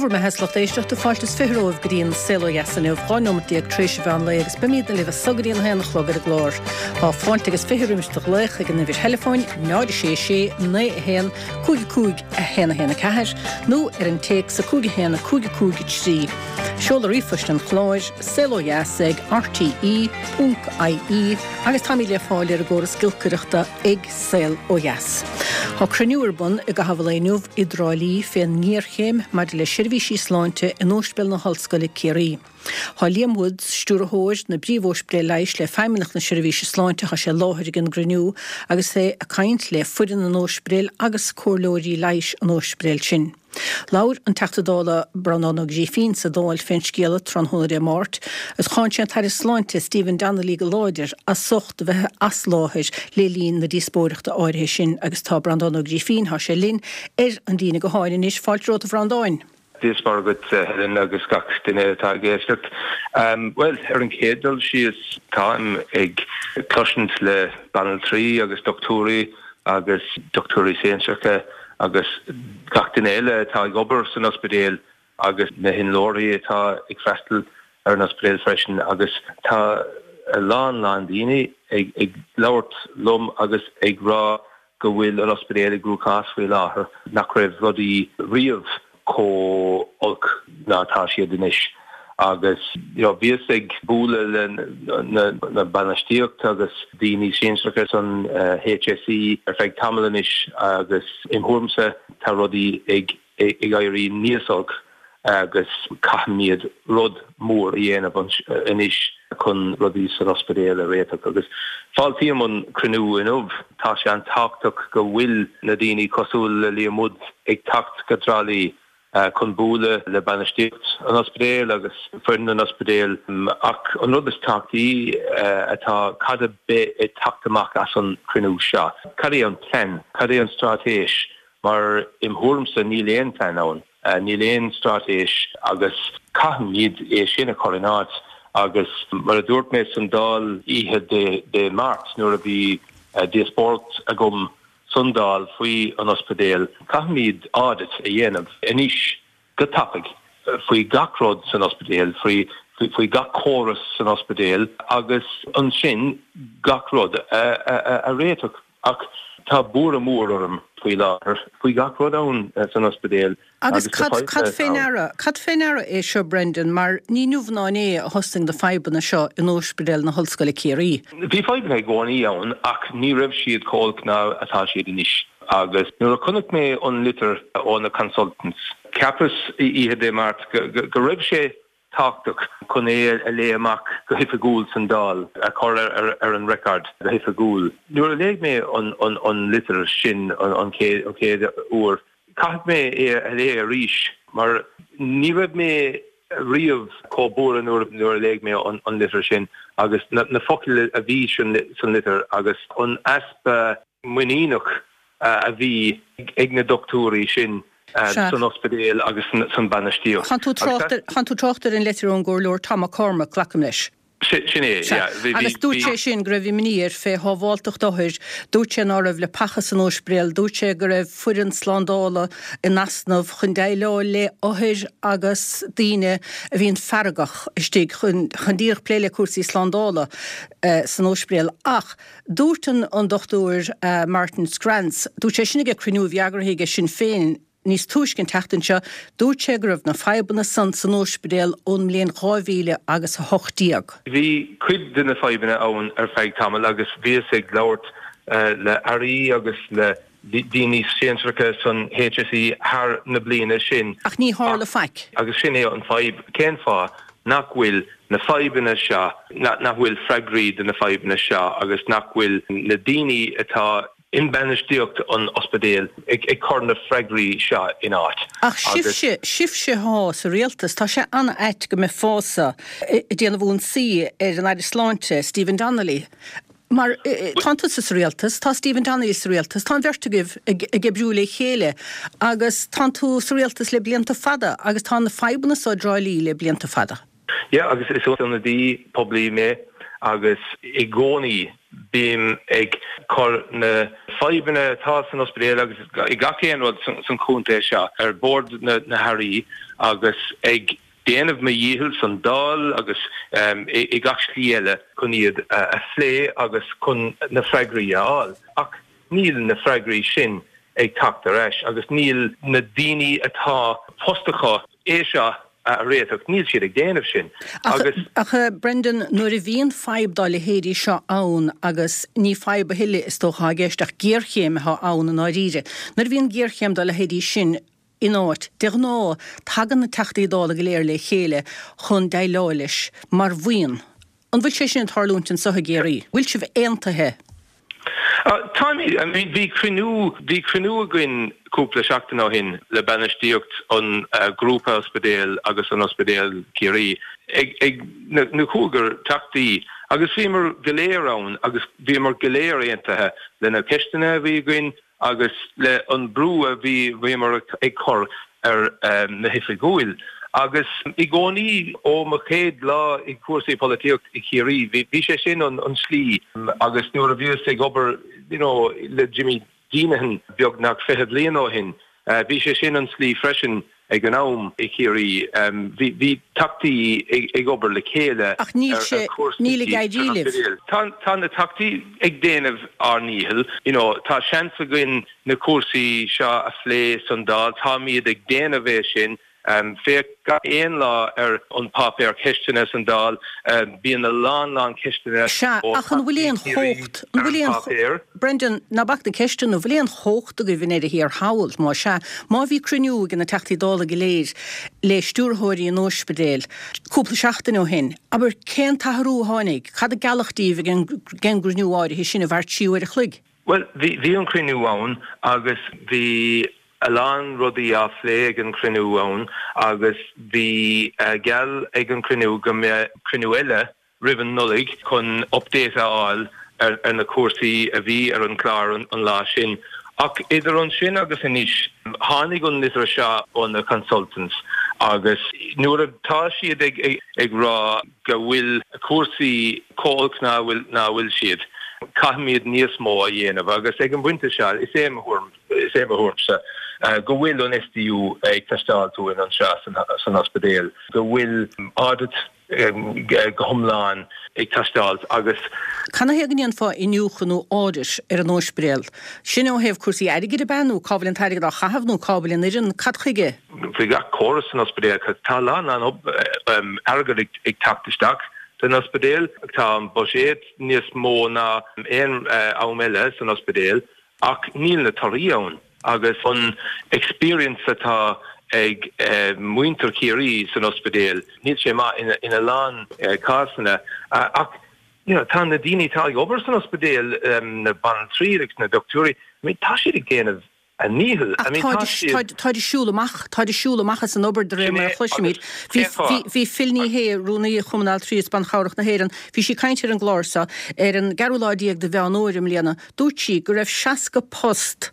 Dé bhur mbeatha is lucht éisteachta, fáilte is 20 romhaibh go dtí an Saol Ó Dheas inniu, 12 nóimeat tar éis an mheán lae agus beimídne libh as so go dtí an haon a chlog ar an gclár. Tá fáilte agus 20 roimis do ghlaoch ag an uimhir theileafóin 0 6 6 9 1 5 5 1 1 4 nó ar an téacs 5 1 5 5 3. Seoladh ríomhphoist an chláir, saolodheas ag rte ponc ie agus táimid le fáil ar an gcóras giolcaireachta ag Saol Ó Dheas. Tá cruinniú ar bun i gcaitheamh an lae inniu i dTrá Lí fén ngéarchéim maidir le seirbhísí sláinte in Óispidéal na hOllscoile Ciarraí. Tá Liam Woods, Stiúrthóir na bPríomh-Óispidéal Leighis le Feidhmeannacht na Seirbhíse Sláinte, tá sé i láthair ag an gcruinniú agus é ag caint le foireann an óispidéil agus comhairleoirí leighis an óispidéil sin. Labhair an Teachta Dála Breandán Ó Grífín sa Dáil fén scéala tráthnóna Dé Máirt agus cháin sé an tAire Sláinte Stephen Donnelly go láidir as ucht a bheith as láthair le linn na díospóireachta áirithe sin agus tá Breandán Ó Grífín, tá sé linn ar an líne gutháin anois. Fáilte romhat a Bhreandáin. Dia is Muire dhuit, a Helen, agus gach duine atá ag éisteacht. Bhuel, ar an chéad dul síos, táim ag cloisint le banaltraí agus dochtúirí agus dochtúirí sinsearacha agus gach duine eile atá ag obair san ospidéal agus na hinnealtóirí atá ag freastal ar an ospidéal freisin agus tá a lán lán daoine ag labhairt liom agus ag rá go bhfuil an ospidéal i gcruachás faoi láthair, nach raibh rudaí riamh chomh olc ná atá siad anois. Agus you know bhíos ag bualadh le na bainistíocht agus daoine sinsearacha san HSE ar feadh tamaill anois agus im thuairimse tá rudaí ag ag éirí níos olc agus caithfimid rud mór a dhéanamh anois chun rudaí san ospidéal a réiteach. Agus fáiltím an cruinniú inniu. Tá sé an-tábhachtach go bhfuil na daoine cosúil le Liam Woods ag teacht go Trá Lí chun bualadh le bainistíocht an ospidéil agus foireann an ospidéil. Ach an rud is tábhachtaí atá cad a bheidh ag teacht amach as an chruinniú seo? Cad é an plean? Cad é an straitéis? Mar im thuairimse níl aon phlean ann, níl aon straitéis agus caithfimid é sin a chur in áit agus mar a dúirt mé san Dáil oíche Dé Máirt nuair a bhí díospóireacht agam san Dáil faoi an ospidéal, caithfimid audit a dhéanamh anois go tapaidh faoi gach rud san ospidéal, faoi faoi gach córas san ospidéal agus ansin gach rud a réiteach. Ach tá buaireamh mór orm faoi láthair faoi gach rud ann san ospidéal Agus agus cad, cad fé ndeara, cad fé ndeara é seo Brendan, mar ní inniu ná inné a thosnaigh na fadhbanna seo in Óispidéal na hOllscoile Ciarraí. Bhí fadhbanna i gcónaí ann ach ní raibh siad chomh holc ná atá siad anois. Agus nuair a chonaic mé an litir ó na consultants, cheapas oíche Dé Máirt go raibh sé tábhachtach chun é a léigh amach go hoifigiúil san Dáil, a chur ar an record go hoifigiúil. Nuair a léigh mé an litir sin an chéad uair, caithfidh mé é a léigh arís mar ní raibh mé riamh chomh buartha nuair a léigh mé an litir sin agus na focail a bhí san litir agus an easpa muiníneach a bhí ag na dochtúirí sin san ospidéal agus san bainistíocht. Tánn tú trácht ar an leitir ón gComhairleoir Tom McCormack, glacaim leis. Sin é, yeah. Agus dúirt sé sin go raibh imní air fé shábháltacht othair, dúirt sé ná raibh leapacha san óispidéal, dúirt sé go raibh foireann slándála in easnamh chun déileáil le othair agus daoine a bhíonn feargach istigh chun díreach plé le cúrsaí slándála san óispidéal. Ach Dúirt an Dr Martin Scrantz, dúirt sé sin ag cruinniú a bhí eagraithe aige Sinn Féin níos túisce an tseachtain seo, dúirt sé go raibh na fadhbanna san san óispidéal ón mbliain 2000 agus 18. Bhí cuid de na fadhbanna ann ar feadh tamaill agus bhíos ag labhairt le airí agus le daoine sinsearacha san HSE thar na bliana sin. Ach ní tharla faic. Agus sin é an fadhb, cén fáth nach bhfuil na fadhbanna seo, nach bhfuil freagraí do na fadhbanna seo agus nach bhfuil na daoine atá i mbainistíocht an ospidéil ag cur na freagraí seo in áit. Ach sibhse, sibhse athá sa rialtas, tá sé an-ait go mbeifeása ag déanamh ionsaí ar an Aire Sláinte, Stephen Donnelly. Mar tá tusa sa rialtas, tá Stephen Donnelly sa rialtas, tá an bheirt agaibh ag oibriú le chéile agus tá tú sa rialtas le blianta fada agus tá na fadhbanna seo i dTrá Lí le blianta fada. Yeah agus is ionadaí poiblí mé agus i gcónaí. Bím ag cur na fadhbanna atá san ospidéal agus i gach aon rud san chontae seo ar bord na hAirí agus ag déanamh mo dhícheall san Dáil agus i gach slí eile chun iad a phlé agus chun na freagraí a fháil. Ach níl na freagraí sin ag teacht ar ais agus níl na daoine atá post acu é seo a réiteach, níl siad ag déanamh sin agus. Ach a Brendan, nuair a bhíonn fadhb dá leithéidí seo ann, agus ní fadhb a thuilleadh is dócha atá i gceist ach géarchéim atá ann i ndáiríre, nuair a bhíonn géarchéim dá leithéidí sin in áit, de ghnáth tagann na Teachtaí Dála go léir le chéile chun déileáil leis mar bhuíon. An bhfuil sé sin ag tarlúint anseo i gCiarraí? Bhfuil sibh aontaithe? Táimid. I mean bhí cruinniú, bhí cruinniú againn cúpla seachtain ó shin le bainistíocht an Ghrúpa Ospidéal agus an Ospidéal Ciarraí ag, ag na, na cúigear teachtaí agus bhíomar go léir ann agus bhíomar go léir aontaithe le na ceisteanna a bhí againn agus le an brú a bhí bhíomar ag cur ar na hoifigiúil. Agus i gcónaí ó mo chéad lá i cúrsaí polaitíocht i Chiarraí bhí bhí sé sin an an slí agus nuair a bhíos ag obair you know le Jimmy Deenihan beagnach 20 bliain ó shin bhí sé sin an slí freisin Ag an am i Chiarraí bhí bhí teachtaí ag obair le chéile Ach níl ar sé, chúrsaí níl ag éirí san libh. ospidéal. Tá tá na teachtaí ag déanamh ár ndícheall, you know, tá seans againn na cúrsaí seo a phlé san Dáil, táimid ag déanamh é sin. Féach gach aon lá ar an páipéar ceisteanna san Dáil, bíonn a lán lán ceisteanna Sea, ó ach an bhfuil Theachtaí aon Chiarraí chumhacht, an ar bhfuil an aon, páipéar. Brendan, ná bac na ceisteanna, an bhfuil aon chumhacht agaibh i ndeireadh thiar thall? Má sea, má bhí cruinniú ag na Teachtaí Dála go léir le stiúrthóirí an óispidéil cúpla seachtain ó shin, abair, cén t-athrú a tháinig? Cad a gealladh díbh ag an gcruinniú áirithe sin a mhair trí uair a chloig? Bhuel, bhí, bhí an cruinniú ann agus bhí a lán rudaí á phlé ag an chruinniú ann agus bhí geall ag an chruinniú go mbeadh cruinniú eile roimh an Nollaig chun update a fháil ar na cúrsaí a bhí ar an chlár an lá sin. Ach idir ansin agus anois, tháinig an litir seo ó na consultants agus nuair atá siad ag rá go bhfuil cúrsaí chomh holc ná a bhfuil siad, caithfimid níos mó a dhéanamh agus ag an bpointe seo, is é mo thuairim, is é mo thuairimse go bhfuil an SDU ag teastáil uainn anseo san ospidéal, go bhfuil audit go hiomlán ag teastáil agus. Canathaobh go ndéanfá iniúchadh nó audit ar an óispidéal? Sin ó thaobh cúrsaí airgid ab ea nó cá bhfuil an t-airgead á chaitheamh nó cá bhfuil an fhoireann? Cad chuige? Faoi gach córas san ospidéal tá a lán lán airgead ag teacht isteach don ospidéal. Tá an buiséad níos mó ná aon am eile san ospidéal Ach níl na torthaí ann agus an experience atá ag muintir Chiarraí san ospidéal, níl sé maith ina lán cásanna. Ach you know tá na daoine atá ag obair san ospidéal, na banaltraí agus na dochtúirí, I mean tá siad ag déanamh a ndícheall. Ach táid, táid ag siúl amach, táid ag siúl amach as an obair de réir mar a chloisimid. Bhí, bhí Phil Ní Sheaghdha, Rúnaí Chumann Altraí is Ban Chabhrach na hÉireann, bhí sí ag caint ar an gclár seo ar an gceathrú lá déag de Mheán Fhómhair i mbliana, Dúirt sí go raibh 60 post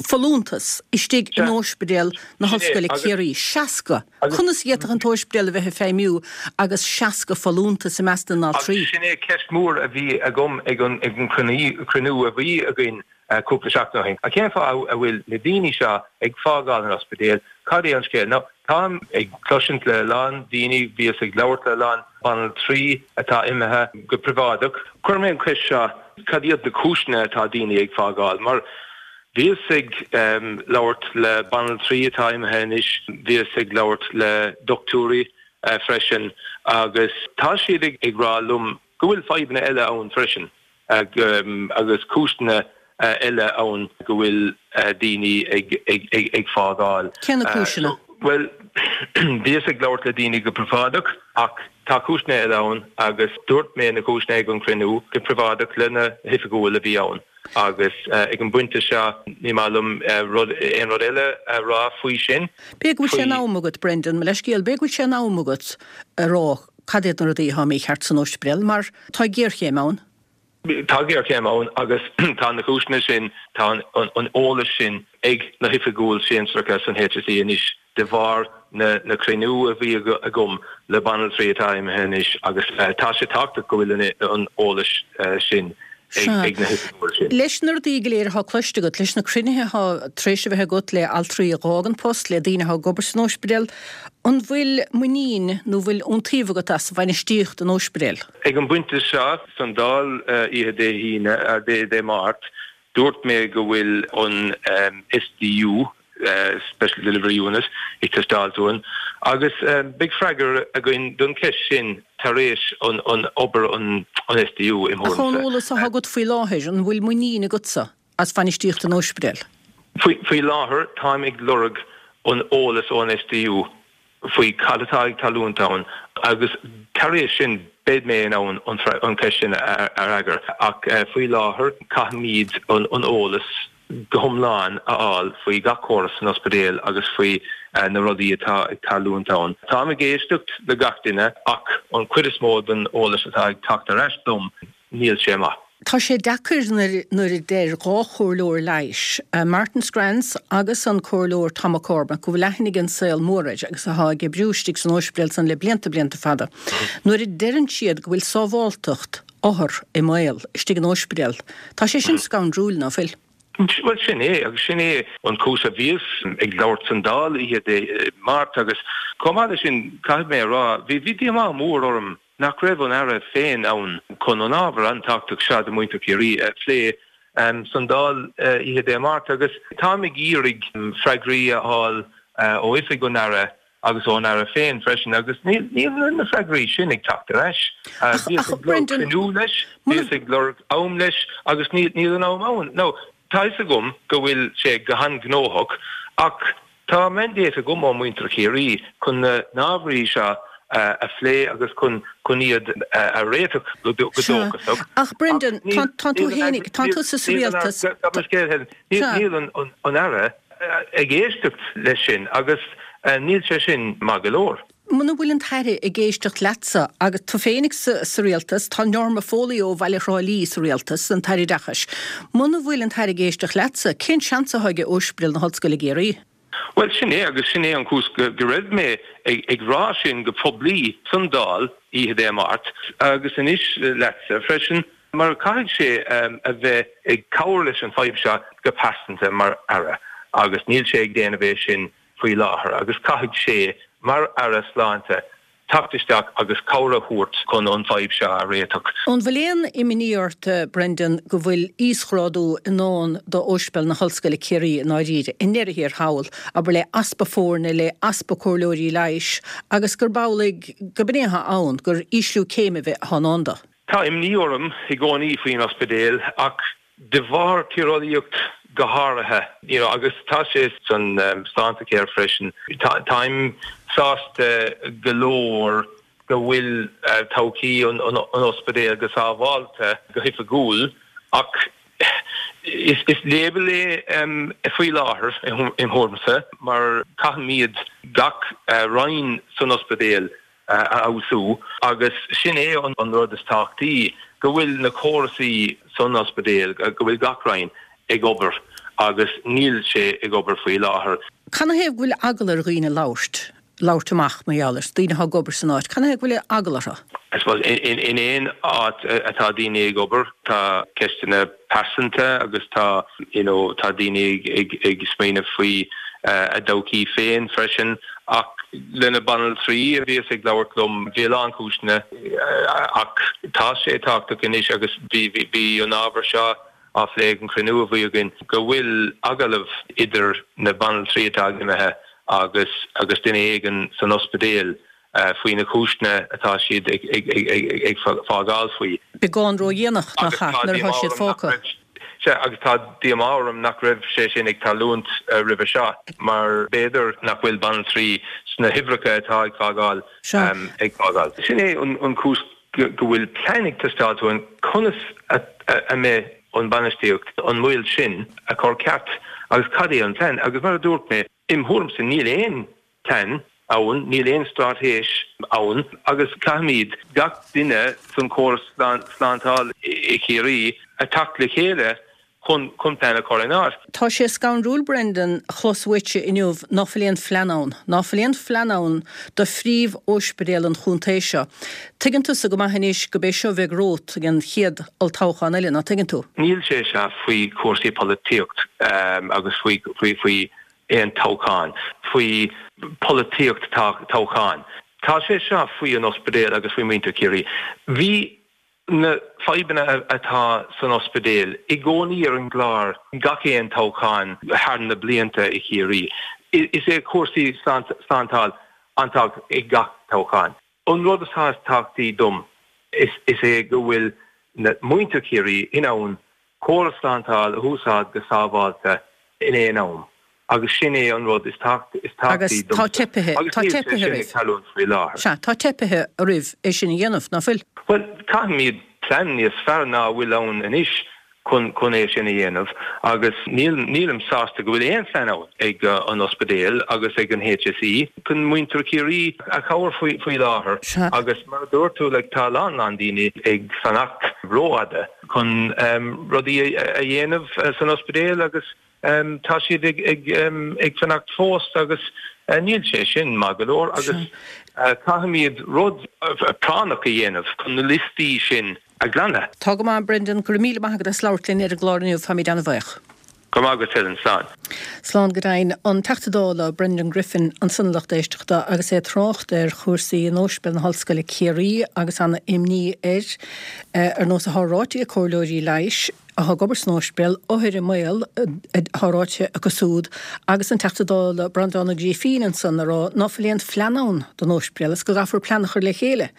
folúntas istigh in Óispidéal na hOllscoile Ciarraí. 60! Conas a d'fhéadfadh an t-óispidéal a bheith ag feidhmiú agus 60 folúntas i measc na n-altraí? Agus sin é ceist mhór a bhí agam ag an gcruinniú a bhí againn cúpla seachtain ó shin. Cén fáth a bhfuil na daoine seo ag fágáil an ospidéil? Cad é an scéal? Now, táim ag cloisint le a lán daoine, bhíos ag labhairt le a lán banaltraí atá imithe go príobháideach. Chuir mé an cheist seo, cad iad na cúiseanna atá daoine ag fágáil? Mar bhíos ag labhairt le banaltraí atá imithe anois, bhíos ag labhairt le dochtúirí freisin agus tá siad ag rá liom go bhfuil fadhbanna eile ann freisin. agus cúiseanna eile ann go bhfuil daoine ag fágáil. Cé na cúiseanna? Bhuel, bhíos ag labhairt le daoine go príobháideach ach tá cúiseanna eile ann agus dúirt mé na cúiseanna ag an chruinniú go príobháideach le na hoifigiúil a bhí ann agus ag an bpointe seo ní maith liom rud, aon rud eile a rá faoi sin. B'fhéidir go bhfuil sé in am agat, Brendan, mo leithscéal, b'fhéidir go bhfuil sé in am agat a rá cad iad na rudaí atá mícheart san óispidéal, mar tá géarchéim ann. Tá géarchéim ann agus tá na cúiseanna sin, tá an eolas sin ag na hoifigiúil sinsearacha san HSE anois. de bharr na cruinniú a bhí agam le banaltraí atá imithe anois agus tá sé tábhachtach go bhfuil an eolas sin ag na hoifigigh sin. Leis na rudaí go léir atá cloiste agat, leis na cruinnithe atá tar éis a bheith agat le altraí a dh'fhág an post, le daoine atá ag obair san óispidéal, an bhfuil muinín nó bhfuil iontaoibh agat as bhainistíocht an óispidéil? Ag an bpointe seo, san Dáil oíche Dé hAoine, Dé Máirt, Dúirt mé go bhfuil an SDU, Special Delivery Unit, ag teastáilt uainn agus beidh freagra againn don cheist sin tar éis an obair an SDU, im Ach ón thuairimse. eolas atá agat faoi láthair, an bhfuil muinín agatsa as bhainistíocht an óispidéil? Faoi láthair táim ag lorg an eolas ón SDU faoi cad atá ag tarlúint ann agus tar éis sin beidh mé in ann an cheist sin a fhreagairt. Ach faoi láthair caithfimid an eolas go hiomlán a fháil faoi gach córas san ospidéal agus faoi na rudaí atá ag tarlúint ann. Táim ag éisteacht le gach duine ach an chuid is mó den eolas atá ag teacht ar ais dom, Níl sé maith. Tá sé deacair nuair a deir 2 chomhairleoir leighis, Martin Scranns agus an Comhairleoir Tom McCormack, go bhfuil aithne ag an saol mór air agus atá ag oibriú istigh san óispidéal san le blianta blianta fada, nuair a deireann siad go bhfuil sábháltacht othar i mbaol istigh in óispidéal. Tá sé sin scanrúil, ná fuil? Bhuel, sin é, agus sin é an chúis a bhíos ag labhairt san Dáil oíche Dé Máirt agus chomh maith leis sin, caithfidh mé a rá, bhí díomá mór orm nach raibh an Aire féin ann chun an ábhar an-tábhachtach seo do mhuintir Chiarraí a phlé san Dáil oíche Dé Máirt agus táim ag iarraidh freagraí a fháil ó oifig an Aire agus ón Aire féin freisin agus níl na freagraí sin ag teacht ar ais. Bhíos ag lorg cruinniú leis, bhíos ag lorg am leis agus níl an am ann. Now, tá fhios agam go bhfuil sé go han-ghnóthach ach Tá mandate agam ó mhuintir Chiarraí chun na n-ábhairí seo a phlé agus chun chun iad a réiteach go dóchasach. Ach Brendan, tá tú féinig, tá tusa sa rialtas. Níl an Aire ag éisteacht leis sin agus níl sé sin maith go leor. Muna bhfuil an tAire ag éisteacht leatsa, agus tú féinig sa rialtas, tá Norma Foley ó bhaile Thrá Lí sa rialtas, an tAire Oideachais, muna bhfuil an tAire ag éisteacht leatsa, cén seans atá aige Ospidéal na hOllscoile i gCiarraí? Bhuel, sin é, agus sin é an chúis go raibh mé ag rá sin go poiblí san Dáil oíche Dé Máirt, agus anois leatsa freisin, mar caithfidh sé a bheith ag cabhair leis an fadhb seo go pearsanta mar Aire, agus níl sé ag déanamh é sin faoi láthair agus caithfidh sé, mar Aire Sláinte, teacht isteach agus cabhair a thabhairt chun an fadhb seo a réiteach. An bhfuil aon imní ort, Brendan, go bhfuil íosghrádú i ndán d'Ospidéal na hOllscoile Ciarraí i ndáiríre, i ndeireadh thiar thall, abair le easpa foirne, le easpa comhairleoirí leighis, agus gurb amhlaidh gurb in é atá ann, gur ísliú céime a bheith atá i ndán dó? Tá imní orm i gcónaí faoin ospidéal ach de bharr tíreolaíocht go háirithe, you know, agus tá sé san Sláintecare freisin. Táim sásta go leor go bhfuil todhchaí an ospidéil go sábháilte go hoifigiúil ach is label é faoi láthair im thuairimse mar caithfimid gach roinn san ospidéal a fheabhsú agus sin é an rud is tábhachtaí, go bhfuil na córasaí san ospidéal, go bhfuil gach roinn ag obair agus níl sé ag obair faoi láthair. Canathaobh go bhfuil eagla ar dhaoine labhairt, labhairt amach mar gheall air, daoine atá ag obair san áit, canathaobh go bhfuil eagla orthu? I suppose in aon áit atá daoine ag obair tá ceisteanna pearsanta agus tá you know tá daoine ag ag smaoineamh faoi a dtodhchaí féin freisin ach le na banaltraí a bhíos ag labhairt liom bhí a lán cúiseanna ach tá sé tábhachtach anois agus bhí bhí an ábhar seo á phlé ag an chruinniú a bhí againn go bhfuil agallamh idir na banaltraí atá imithe agus agus duine éigin san ospidéal faoi na cúiseanna atá siad ag fágáil faoi. Beagán ródhéanach, nach ea, nuair atá siad fágtha. Sea, agus tá díomá orm nach raibh sé sin ag tarlúint roimhe seo, mar b'fhéidir nach bhfuil banaltraí sna huimhreacha atá ag fágáil ag fágáil. Sin é an chúis go bhfuil plean ag teastáil uainn conas a mbeidh an bainistíocht an moill sin a chur ceart agus cad é an plean. Agus mar a dúirt mé, im thuairimse níl aon plean ann, níl aon straitéis ann agus caithfimid gach duine san córas slántáil i Chiarraí a teacht le chéile. chun chun plean a chur in áit. Tá sé scanrúil Brendan a chlos uaitse inniu ná fuil aon phlean ann, ná fuil aon phlean ann do phríomh-óispidéal an chontae seo. Tuigeann tusa go maith anois go b'é seo a bheidh romhat ag an chéad olltoghchán eile, ná tuigeann tú? Níl sé seo faoi chúrsaí polaitíocht agus faoi faoi faoi aon toghchán, faoi pholaitíocht toghcháin. Tá sé seo faoi an ospidéal agus faoi muintir Chiarraí. Bhí na fadhbanna atá san ospidéal i gcónaí ar an gclár gach aon toghchán thar na blianta i Chiarraí. Is é cúrsaí slántáil an tábhacht ag gach toghchán. An rud atá is tábhachtaí dom is é go bhfuil na muintir Chiarraí in ann córas slántáil a húsáid go sábháilte in aon am agus sin é an rud is tábhachtaí domsa agus níl sé sin ag tarlúint faoi láthair. Sea, tá teipithe oraibh é sin a dhéanamh, ná fuil? Bhuel, caithfimid plean níos fearr ná a bhfuil ann anois chun chun é sin a dhéanamh agus níl nílim sásta go bhfuil aon phlean ann ag an ospidéal agus ag an HSE chun muintir Chiarraí a chabhair faoi faoi láthair agus mar a dúirt tú like tá a lán lán daoine ag fanacht rófhada chun rudaí a dhéanamh san ospidéal agus tá siad ag ag ag fanacht fós agus níl sé sin maith go leor agus caithfimid rud práinneach a dhéanamh chun na liostaí sin a ghlanadh. Tá go maith, Brendan, go raibh míle maith agat as labhairt linn ar an gclár inniu, táimid an-bhuíoch. Go raibh maith agat, Helen. Slán. Slán go deimhin. An Teachta Dála Brendan Griffin ansan a lucht éisteachta agus é ag trácht ar chúrsaí in Ospidéal na hOllscoile Ciarraí agus ana-imní air, ar nós atá ráite ag comhairleoirí leighis atá ag obair san ospidéal, othair i mbaol atá ráite acu súd agus an Teachta Dála Breandán Ó Grífín ansan ag rá ná fuil aon phlean ann don ospidéal agus go gcaithfear plean a chur le chéile.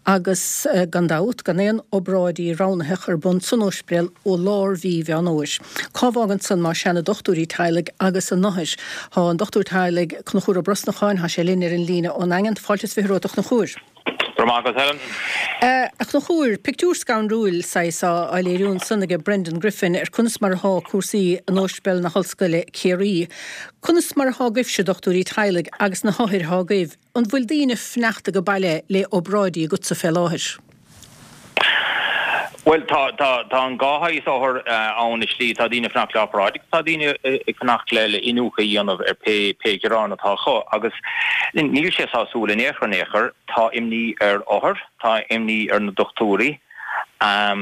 Agus, gan dabht, gan aon obráidí roghnaitheacha ar bun san ospidéal ó lár mhí Mheán Fhómhair. Cá bhfágann san más ea na dochtúirí teaghlaigh agus a n-othair? Tá an dochtúir teaghlaigh Conchúr Ó Brosnacháin, tá sé linn ar an líne ón nDaingean. Fáilte is 20 romhat a Chonchúir. Go raibh maith agat, Helen. A Chonchúir, pictiúr scanrúil saghas á léiriú ansan aige Brendan Griffin ar conas mar athá cúrsaí in Ospidéal na hOllscoile Ciarraí. Conas mar athá agaibhse, dochtúirí teaghlaigh, agus na hothair athá agaibh, An bhfuil daoine fanacht age baile le obráidí agatsa fé láthair? Bhuel, tá, tá, tá an dhá shaghas othar ann i slí. Tá daoine ag fanacht le obráid agus tá daoine ag fanacht le, le iniúchadh a dhéanamh ar pé, pé gearán atá acu. Agus níl sé sásúil in aon chor, in aon chor. Tá imní ar othair, tá imní ar na dochtúirí, tá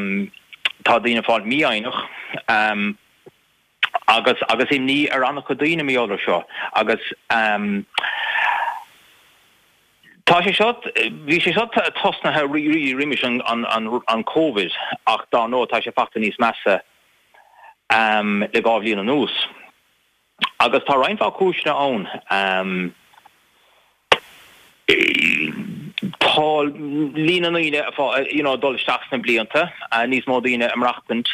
daoine ag fáil mífhoighneach. Agus agus imní ar an-chuid daoine mar gheall air seo. Agus tá sé seo, bhí sé seo tosnaithe really roimis an an an Covid ach dár ndóigh tá sé fachta níos measa le dhá bhliain anuas. Agus tá roinnt mhaith cúiseanna ann. Tá líon na ndaoine you know ag dul isteach sna blianta, níos mó daoine ag maireachtaint,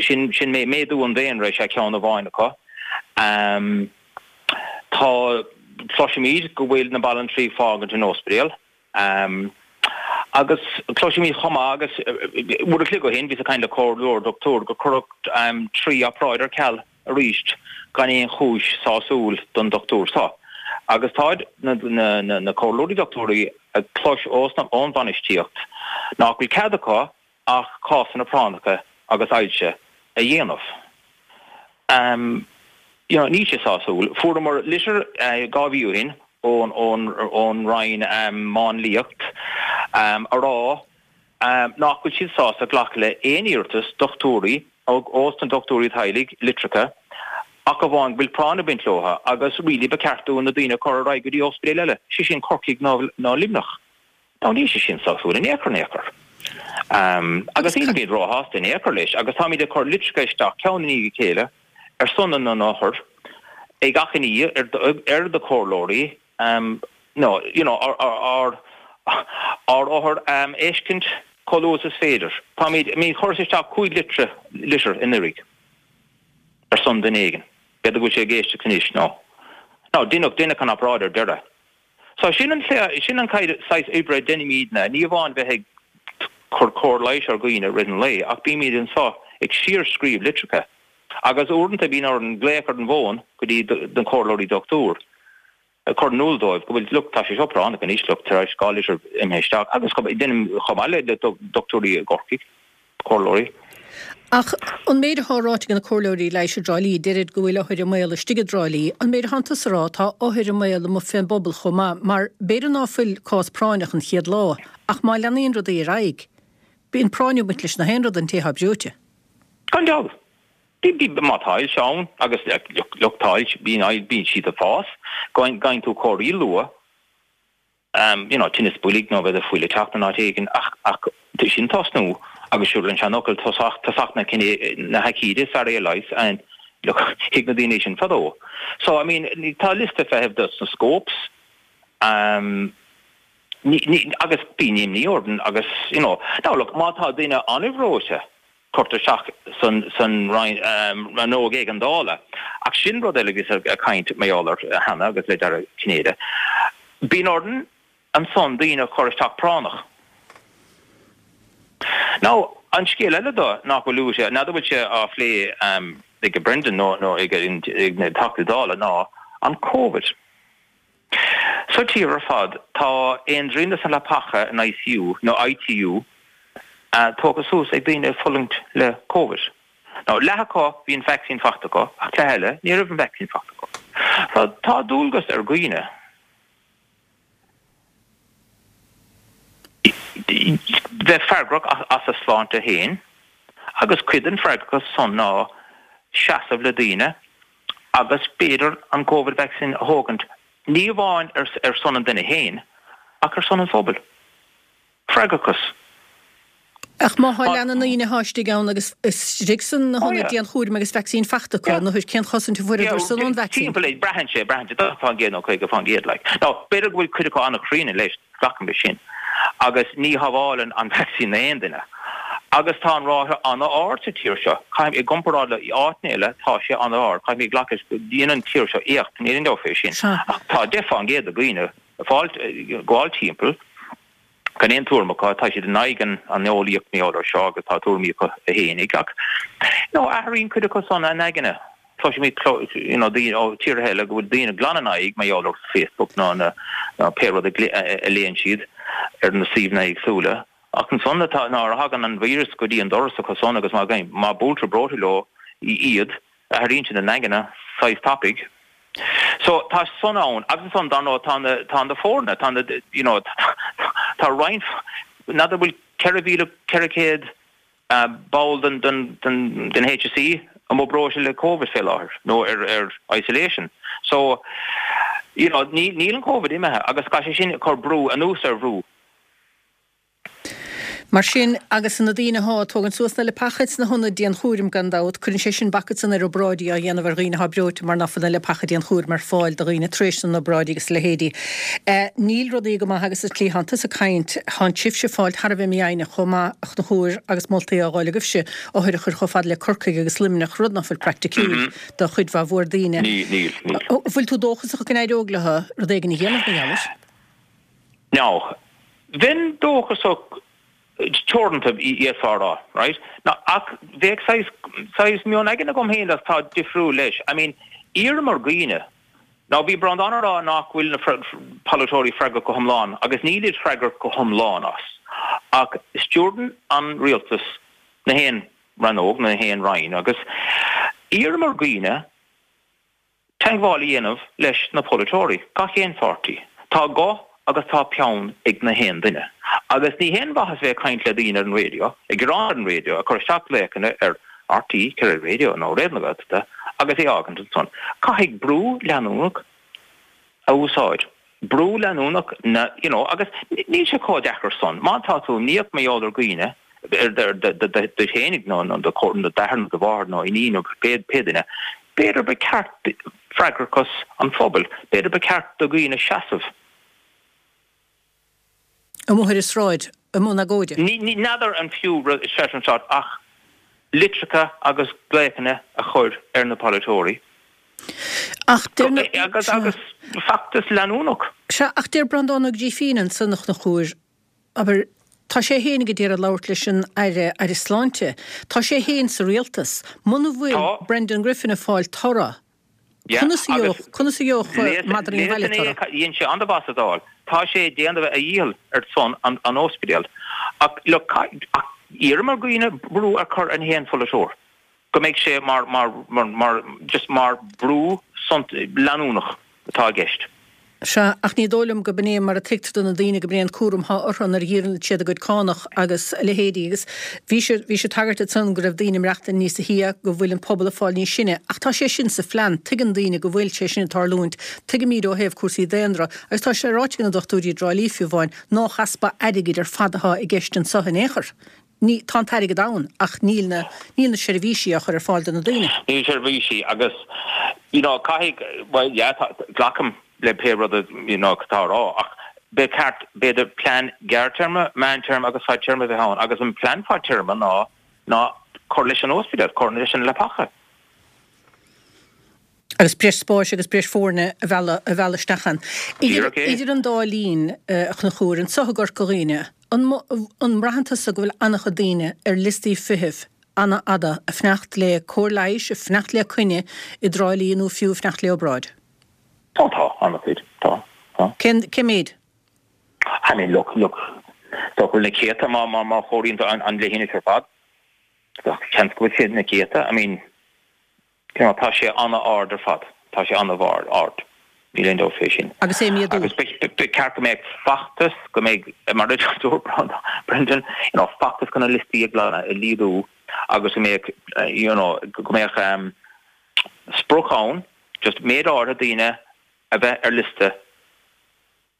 sin sin méadú an daonra is ea ceann amháin acu. Tá, cloisimid go bhfuil na banaltraí ag fágaint an ospidéal. Agus cloisimid chomh maith, agus uair a chloig ó shin bhíos ag caint le comhairleoir dochtúir, gur cuireadh 3 obráid ar ceal arís gan aon chúis sásúil don dochtúir seo. Agus táid na comhairleoirí dochtúirí ag clos ón bhainistíocht nach bhfuil cead acu ach cásanna práinneacha agus ailse a dhéanamh. You know, níl sé sásúil. Fuaireamar litir 2 mhí ó shin ón ón ón Roinn Máinliacht a rá nach bhfuil siad sásta glacadh le aon iarratas dochtúirí ós na dochtúirí teaghlaigh litreacha ach amháin go bhfuil práinn ag baint leo agus really ba cheart dúinn na daoine a chur ar aghaidh go dtí ospidéil eile, sé sin Corcaigh nó nó Luimneach. Now níl sé sin sásúil in aon chor in aon chor. Agus nílimid róshásta in aon chor leis agus táimid ag cur litreacha isteach ceann i ndiaidh a chéile ar son na n-othar ag achainí ar ar na comhairleoirí no you know ár ár othair a fheiscint chomh luath is is féidir. Táimid, I mean chuireas isteach 5 litre litir anuraidh ar son duine éigin. B'fhéidir go bhfuil sé ag éisteacht anois no. Now deineadh deineadh an obráid ar deireadh. So sin an sin an saghas oibre a deinimídne, ní amháin bheith ag cur cóir leighis ar dhaoine i rith an lae, ach bímid anso ag síorscríobh litreacha. Agus uaireanta bíonn orainn glaoch ar an bhfón go dtí na comhairleoirí dochtúir, ag cur in iúl dóibh go bhfuil, look, tá sé seo práinneach anois, look, tar éis 2 litir imithe isteach, agus deinim chomh maith le dochtúirí i gCorcaigh, comhairleoirí. Ach an méid atá ráite ag na comhairleoirí leighis i dTrá Lí, deirid go bhfuil othair i mbaol istigh i dTrá Lí. An méid atánn tusa a rá, tá othair i mbaol amuigh fén bpobal chomh maith, mar b'fhéidir ná fuil cás práinneach an chéad lá, ach má leanaíonn rudaí ar aghaidh, bíonn práinniú ag baint leis na haon rud don té atá breoite. Gan dabht. Má tá ailse ann, agus look tá ailse, bíonn, bíonn siad ag fás, gheibheann tú comharthaí luath. you know, tinneas boilg nó b'fhéidir fuil ag teacht in áit éigin ach, ach sin tosnú agus siúd an seanfhocal tosach, tosach na cine, na haicíde is fearr é a leigheas and look, thuig na daoine sin fadó. So, I mean, tá liosta feithimh dos na scopes, um, ní, ní, agus bíonn imní orainn agus, you know, now look, má tá duine an-bhreoite, Cuirtear isteach san rannóg éigeandála. Ach sin rud eile a bhíos ag caint mar gheall air cheana agus le Dara Cinnéide. Bíonn orainn ansan daoine a chur isteach práinneach. Now, an scéal eile do nach bhfuil luaite, n'fheadar bhfuil sé á phlé ag Brendan nó ag na Teachtaí Dála ná an Covid. Sa tír ar fad, tá aon dtrian de na leapacha in ICU nó ITU tógtha suas ag daoine ag fulaingt le Covid. Now, leath acu, bhí an vacsaín faighte acu, ach leath eile, ní raibh an vacsaín faighte acu. So, tá dualgas ar dhaoine bheith freagrach as a sláinte féin agus cuid den freagrachas san ná seasamh le daoine agus b'fhéidir an Covid vaccine a thógaint, ní amháin ar son an duine féin, ach ar son an phobail. Freagrachas. Ach má thá leath na ndaoine athá istigh ann agus istigh san na hionaid dianchúraim agus vacsaín fachta acu, an othair cén chosaint a fuaireadar san ón vacsaín? Timpeall, braitheann sé, braitheann sé, 40% nó 50% like. Now, b'fhéidir go bhfuil cuid acu an-chríonna leis, Glacaim leis sin. Agus ní shábhálann an vacsaín aon duine. Agus tá an ráta an-ard sa tír seo. Caithfidh, i gcomparáid le áiteanna eile, tá sé an-ard. Caithfidh mé glacadh leis go dtéann an tír seo éacht, níl aon dabht fé sin. Ach tá 10% de dhaoine ag fáil, gabháil timpeall gan aon tuairim acu, tá siad in aghaidh an eolaíocht mar gheall air seo agus tá tuairimí acu fhéinig. Ach, you know, athraíonn cuid acu san a n-aigne. Cloisimid you know daoine ó tíortha eile go bhfuil daoine glan in aghaidh mar gheall ar Facebook nó na nó pé rud a léann siad ar na suíomhanna éagsúla. Ach ansan atá nuair a thagann an víreas go dtí an doras acu san agus má má buailtear breoite leo iad, athraíonn siad a n-aigne saghas tapaidh. So tá san ann agus ansan dar ndóigh tá na tá na foirne, tá na you know tá roinnt n'fheadar bhfuil 4,400 ball den HSE amuigh breoite le Covid fé láthair nó ar isolation. So, you know, níl an Covid imithe agus tá sé sin ag cur brú anuas ar bhrú. Mar sin, agus na daoine athá ag tógaint suas na leapacha sna hionaid dianchúraim gan dabht, cuireann sé sin bac ansan ar obráidí á dhéanamh ar dhaoine athá breoite mar ná fuil na leapacha dianchúraim ar fáil do dhaoine tar éis na n-obráidí agus a leithéidí. Níl rudaí go maith agus sa tslí thánn tusa ag caint, thánn sibhse ag fáilt thar a bheith mífhoighneach chomh maith, a Chonchúir, agus moltaí á dh'fháil agaibhse, othair a chur chomh fada le Corcaigh agus Luimneach, rud ná fuil praiticiúil do chuid mhaith mhór daoine. Níl, níl, níl. An bhfuil tú dóchasach go n-éireoidh leo rud éigin a dhéanamh mar gheall air? Now, bheinn dóchasach teoranta, d'fhéadfá a rá, right? Now, ach bheadh saghas, saghas meon éigin agam féin atá difriúil leis. I mean, iarraim ar dhaoine, Now bhí Breandán ag rá nach bhfuil na polaiteoirí freagrach go hiomlán, agus nílid freagrach go hiomlán as, ach stiúrann an rialtas na haon rannóg, na haon roinn, agus iarraim ar dhaoine teagmháil a dhéanamh leis na polaiteoirí, gach aon pháirtí. Tá guth agus tá peann ag na haon duine. Agus ní haon mhaitheas bheith ag caint le daoine ar an raidió, ag gearán ar an raidió, ag cur isteach glaochanna ar RTÉ Radio nó Raidió na Gaeltachta agus é a fhágaint ansan. Caithfidh brú leanúnach a úsáid. Brú leanúnach na, you know, agus níl sé chomh deacair san. Má tá tú imníoch mar gheall ar dhaoine, ar duit fhéinig nó do d'athair nó do mháthair nó iníon nó pé duine, b'fhéidir ba cheart freagrachas an phobail, b'fhéidir ba cheart do dhaoine seasamh. Amuigh ar an sráid, i mbun agóide. Ní n'fheadar an fiú seasamh ar an sráid ach litreacha agus glaochanna a chur ar na polaiteoirí. Ach deir na. Agus agus feachtas leanúnach. Sea, ach deir Breandán Ó Grífín ansan, a Chonchúir, abair, tá sé féinig a d'iarraidh labhairt leis an Aire, Aire Sláinte. Tá sé féin sa rialtas. Muna bhfuil Brendan Griffin ag fáil toradh, Conas a gheobhadh, conas a gheobhadh madraí an bhaile toradh? Dhein sé an-mhaith sa Dáil. Tá sé ag déanamh a dhícheall ar son an ospidéal. Ach look, ach. Iarraim ar dhaoine brú a chur ar na haon pholaiteoir, go mbeidh sé mar, mar, mar, just mar brú leanúnach atá i gceist. Sea, ach ní dóigh liom go b'in é mar a tuigtear do na daoine go b'in é an cúram thá orthu nuair a dhíolann siad a gcuid cánach agus a leithéidí. Agus bhí sé, bhí sé tagairt ansan go raibh daoine ag maireachtaint níosa shia, go bhfuil an pobal ag fáil níos sine. Ach tá sé sin sa phlean, tuigeann daoine go bhfuil sé sin ag tarlúint, tuigimíd ó thaobh cúrsaí daonra, agus tá sé ráite ag na dochtúirí i dTrá Lí fiú amháin, nách easpa airgid ar fad athá i gceist anso in aon chor. Ní, tá an t-airgead ann ach níl na, níl na seirbhísí á chur ar fáil do na daoine. Níl seirbhísí agus you know caithfidh, bhuel yeah tá, glacaim le pé rud a you know atá á rá ach ba cheart b'fhéidir plean gearrtéarma, meántéarma agus fadtéarma a bheith ann agus an plean fadtéarma ná, ná cur leis an ospidéal, cur leis an leapacha. Agus breis spáis agus breis foirne a mhealladh, a mhealladh isteach ann. Idir, idir an dá linn, a Chonchúir, anso i gCorca Dhuibhne, an, an mbraitheann tusa go bhfuil an-chuid daoine ar liostaí feithimh an-fhada ag fanacht le cóir leighis, ag fanacht le coinne i dTrá Lí nó fiú ag fanacht le obráid? Tá, tá, an-chuid, tá, tá. Cén, cén méid? I mean, look, look, tá go bhfuil na céadta má, má, má chomhaireann tú an, an leithinis ar fad. Seans go bhfuil siad na céadta, I mean, You know, tá sé an-ard ar fad. Tá sé an-ard. Níl aon dabht fé sin. Agus é ag méadú. Agus ba cheart go mbeadh feachtas, go mbeadh, mar a dúirt Brendan, you know, feachtas chun na liostaí a ghlanadh, a laghdú agus go mbeadh, you know, go mbeadh sprioc ann, just méid áirithe daoine a bheith ar liosta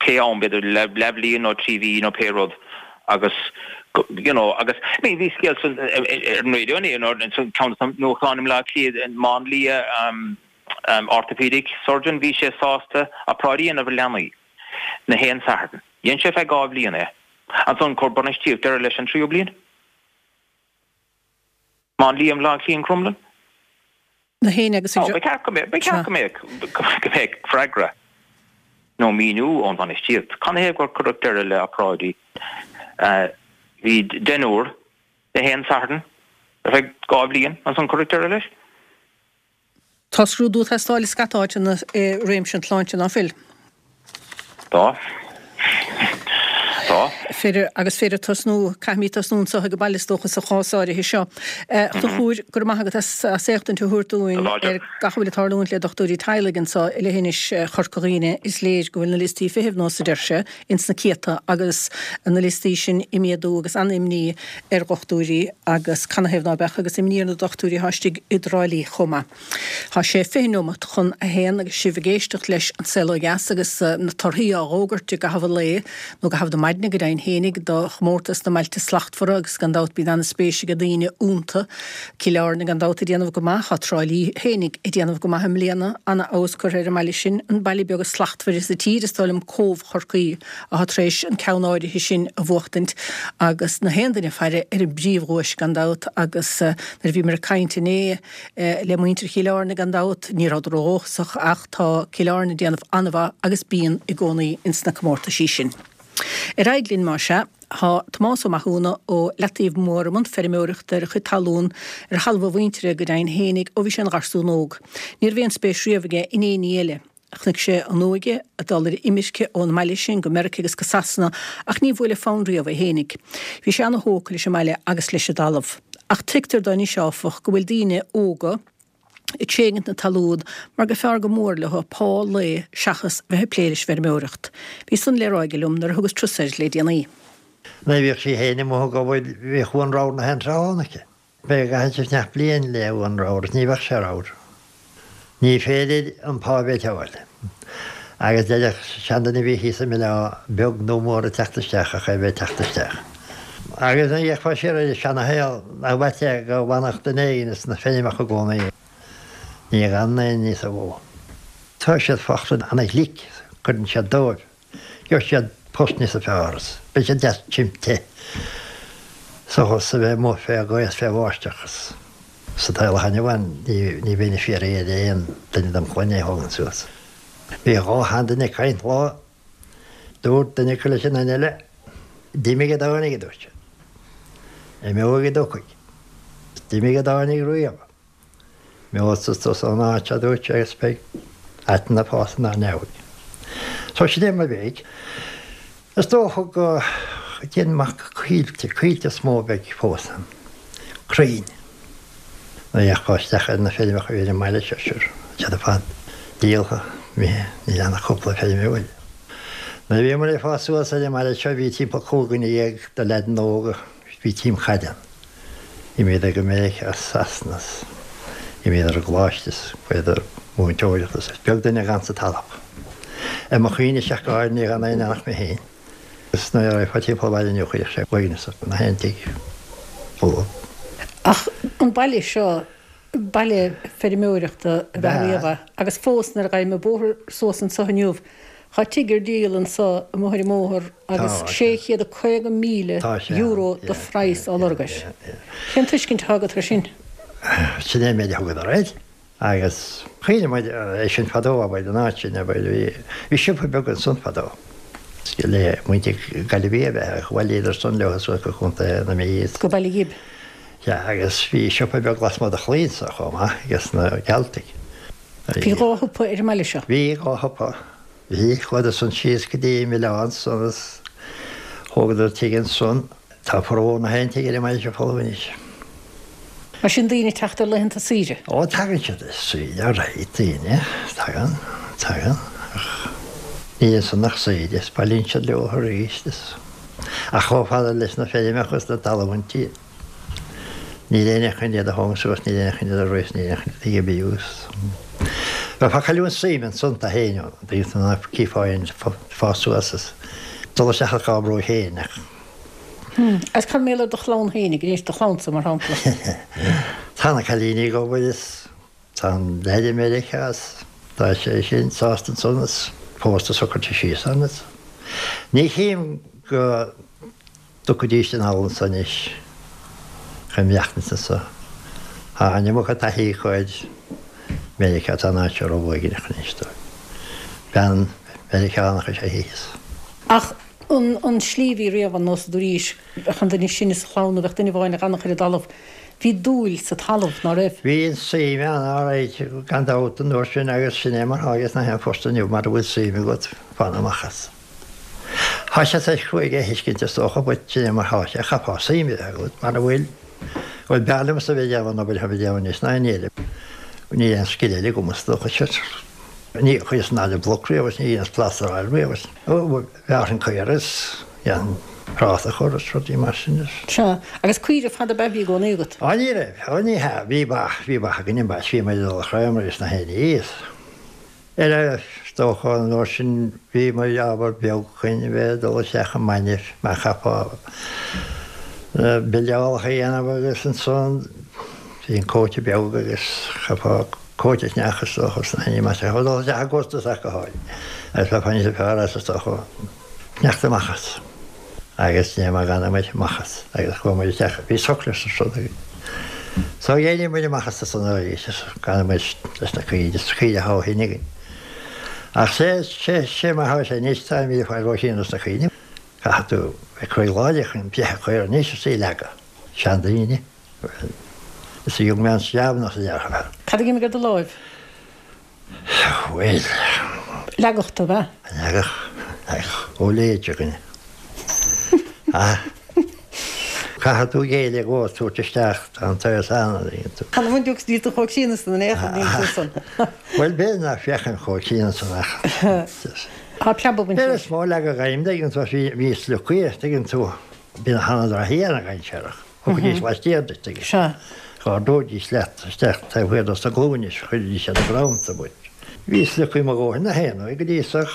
pé am, b'fhéidir leathbhliain nó 3 mhí nó pé rud agus you know agus I mean bhí scéal san ar an raidió inné nó san ceann de na nuachtáin i mBleá Cliath an máinlia orthopedic surgeon bhí sé sásta obráidí a dhéanamh ar leanaí na haon Satharn. Dhein sé feadh 2 bhliain é. Ansan chuir bainistíocht deireadh leis an tríú bliain. Máinlia i mBleá Cliath in Crumlin. Na héinne agus ag. Ba cheart go mbeadh, ba cheart go mbeadh, go mbeadh freagra nó míniú ón bhainistíocht. Canathaobh gur cuireadh deireadh le obráidí? Bhí deichniúr na haon Satharn ar feadh 2 bhliain, ansan cuireadh deireadh leis. Tá scrúdú ag teastáil i scata áiteanna i réimse an tsláinte, ná fuil? Tá. Tá. Féidir, agus féidir tosnú, caithfimid tosnú anseo ag an baile is dócha sa chás áirithe seo. A Chonchúir, go raibh maith agat as as éachtaint a thabhairt dúinn ar gach a bhfuil ag tarlúint le dochtúirí teaghlaigh anseo i leithinis Chorca Dhuibhne. Is léir go bhfuil na liostaí feithimh, nós a deir sé, ins na céadta agus na liostaí sin ag méadú agus an-imní ar dhochtúirí agus canathaobh ná beadh agus imní ar na dochtúirí atá istigh i dTrá Lí chomh maith. Tá sé 20 neomat chun a haon agus sibh ag éisteacht leis An Saol Ó Dheas agus na torthaí á bhfógairt i gcaitheamh an lae, nó i gcaitheamh na maidne go deimhin fhéinig, do chomórtas na mBailte Slachtmhara agus gan dabht bíonn an-spéis ag daoine iontu. Cill Airne gan dabht ag déanamh go maith, tá Trá Lí fhéinig ag déanamh go maith i mbliana, an-fheabhas curtha ar an mbaile sin, an baile beag is slachtmhaire sa tír is dóigh liom, Cóbh Chorcaí atá tar éis an ceann áirithe sin a bhuachtaint agus na haon duine ag faire ar an bpríomhdhuais gan dabht agus nuair a bhíomar ag caint inné le muintir Chill Airne gan dabht ní rabhadar ródhóchasach ach tá Cill Airne ag déanamh an-mhaith agus bíonn i gcónaí ins na comórtaisí sin. Ar aghaidh linn más ea. Tá Tomás Ó Mathúna ó Leataobh Mór i mbun feirmeoireachta ar a chuid talún, ar thalamh a mhuintire go deimhin fhéinig, ó bhí sé ina gharsún óg. Ní raibh aon spéis riamh aige in aon ní eile. Chonaic sé an óige ag dul ar imirce ón mbaile sin go Meirice agus go Sasana ach ní bhuail an fonn riamh é fhéinig. Bhí sé ana-thógtha leis an mbaile agus leis an dtalamh. Ach tuigtear dó anois áfach go bhfuil daoine óga ag tréigint na talún mar gur fearr go mór leo pá lae seachas bheith ag plé leis an bhfeirmeoireacht. Bhí san le rá aige liom nuair a thugas turas air le déanaí. Nuair a bhíodh sí fhéin amuigh ag obair bhíodh uan ramhar na haon tráth ann aici. Bheadh gach aon neach bliain le uan ramhar is ní bheadh sé ramhar. Ní féidir an pá a bheith ag fáil. Agus deireadh seanduine a bhí thíos i mBaile Átha, beag nó mór ag teacht isteach ach é bheith ag teacht isteach. Agus nuair a fhéachfá siar ar an seana-shaol nach bhfaighte é go bhfanfadh duine éigin sna feirmeacha i gcónaí. Ní fhanann aon ní sa mhó. Tá siad fosta ana-ghlic, cuireann siad dóibh. Gheobhaidh siad post níosa fearr is beidh siad deas tirim te seachas a bheith amuigh fé ghaoth is fé bháisteach is sa tsaol atá inniu ann ní bheinn ag fiafraí ar aon duine dem chlann é a thógaint suas. Bhí dhá sheanduine ag caint lá, dúirt duine acu leis an duine eile, D'imigh a dtáinig, a dúirt sé. Imeoidh a dtiocfaidh. D'imigh a dtáinig riamh. Imeoidh tusa ón áit seo, a dúirt sé, agus beidh aiteann ag fás inár ndeabhaidh. So sin é mo mhéid. Is dócha go. Go dtí amach go Coillte, Coillte is mó a bheidh fós ann. Crainn. Nuair a fhéachfá isteach ar na feirmeacha a bhí ar an mbaile seo, sure, tá siad ar fad díoltha, imithe, níl ann ach cúpla feirmeoir. Nuair a bhíomar ag fás suas ar an mbaile seo bhí timpeall 15 dhuine de leaideanna óga, bhí team caide ann. D'imíodar go Meiriceá as Sasana is d'imíodar i gcoláiste is chuadar múinteoireacht is beag duine a dh'fhan sa talamh. Ar mo chuimhne-se ach go háirithe ní dh'fhan aon ach mé féin. Is nuair a raghfá timpeall an bhaile inniu chuirfeadh sé uaigneas ort na haon tigh folamh. Ach an baile seo, baile feirmeoireachta ab ea riamh é agus fós nuair a ghabhaim an bóthar suas anso inniu tá tigh ar díol anso amuigh ar an mbóthar agus €650,000 de phraghas á lorg air. Cén tuiscint atá agat air sin? Sin é an méid a thugadar air. Agus chuimhnigh muid é sin fadó, abair, an áit sin, abair, bhí, bhí siopa beag ansan fadó. Le muintir Gaillimhí ab ea, bhailíodar san leo suas go Contae na Mí is. Go Baile Ghib. Sea, agus bhí siopa beag lasmuigh de chlaí anso chomh maith, ages na Gealtaigh. Bhí dha shiopa ar an mbaile seo. Bhí dha shiopa. Bhí, chuadar san síos go dtí an Oileán san is thógadar tigh ansan. Tá formhór na haon tigh ar an mbaile seo folamh anois. Mar sin daoine ag teacht ar laethanta saoire? Ó tagann siad ar saoire alright, daoine, tagann, tagann, ach níl ansan ach saoire is bailíonn siad leo arís is, ach chomh fada leis na feirmeacha is na talmhaintí, níl éinne chun iad a thógaint suas, níl éinne chun iad a rith, níl éinne chun iad a oibriú is. Bheifeá ag cailliúint suim ansan do fhéin, daoine ná cífeá aon fás suas is dul isteach ach á mbrú féin ach. Agus cad mar gheall ar do chlann féinig, anois, do chlannsa, mar shampla? Tá na cailíní ag obair is tá an leaid i Meiriceá is tá sé sin sásta ansan is pósta socraithe síos ann is ní chím go dtiocfaidís anall anso anois chun maireachtaint anso. Tá an iomarca taithí acu ar Meiriceá, tá an áit seo ró-uaigneach anois dóibh. Bean Mheiriceánach is ea í is. Ach an tslí a bhí riamh ann, nós a dúraís, bheadh an duine is sine sa chlann nó bheadh duine amháin a d'fhanfadh ar an dtalamh. Bhí dúil sa talamh, ná raibh? Bhí an suim ann, alright, gan dabht, an uair sin agus sin é mar thá ages na haon phost inniu, mara bhfuil suim agat, fan amach as. Thá sé saghas cruaidh é a thuiscint is dócha, but sin é mar thá sé, chaithfeá suim a bheith agat, mara bhfuil, bhuel b'fhearr liomsa a bheith ag déanamh an obair atáim ag déanamh anois ná aon ní eile. Níl aon scil eile agam is dócha, sure. Ní chuireas an fhad i mbloc riamh is ní dheineas plástaráil riamh is bhearrfainn caora is dhéanfainn práta a chur is rudaí mar sin is. Sea, agus caoire fada ab ea a bhí i gcónaí agat? Á ní raibh, á ní hea, bhí ba, bhí ba againn an ba is bhí muid ag dul a chroíomar is na haon ní is. Ar is dócha an uair sin bhí muid ábhar beag chun a bheith ag dul isteach i mbainne mar chaithfeá na billeálacha a dhéanamh agus ansan bhí an cóite beag agus chaithfeá cóite a cheannach is dócha sna haon ní mar sin. Dul isteach i gcostas ach go háirithe. Agus bheifeá níos fearr as is dócha sneachta amach as. Agus ní mar dh'fhan muid amach as. Agus chuaigh muid isteach, bhí socras is rud againn. So d'éirigh muid amach as san arís is d'fhan muid leis na caoirigh, is caoirigh atá ó shin againn. Ach sé, sé, sé mar thá sé anois, táimid ag fáil róchian dos na caoirigh. Caithfidh tú bheith croí láidir chun breith a chur anois is í a leagadh. Seandaoine. Well, it's a young man's job nach deartha. Cad a d'imigh ar do láimh? Bhuel. Leagadh tú, ab ea? Leagadh, leagadh. Ó léite againne. Ah. Caithfidh tú géilleadh dhó is tabhairt isteach, tá an t-aos ann, a dtuigeann tú. Chan bhain tú níl tú chomh críonna san in aon chor, níl tú san. Bhuel, b'fhéidir nach bhféachaim chomh críonna san ach. Tá preabadh bainte leis. Is mó leagadh agam, tuigeann tú, bhí sliocaí, tuigeann tú, bhí na han-draithí ana-dhainséarach. Thugfaidís laistiar duit agus Sea. dh'ardóidís leat isteach taobh thiar dos na glúine is chuiridís ar an gcrann tú. Bhí sliocaí mo dhóthain na haon uair go dtí sach.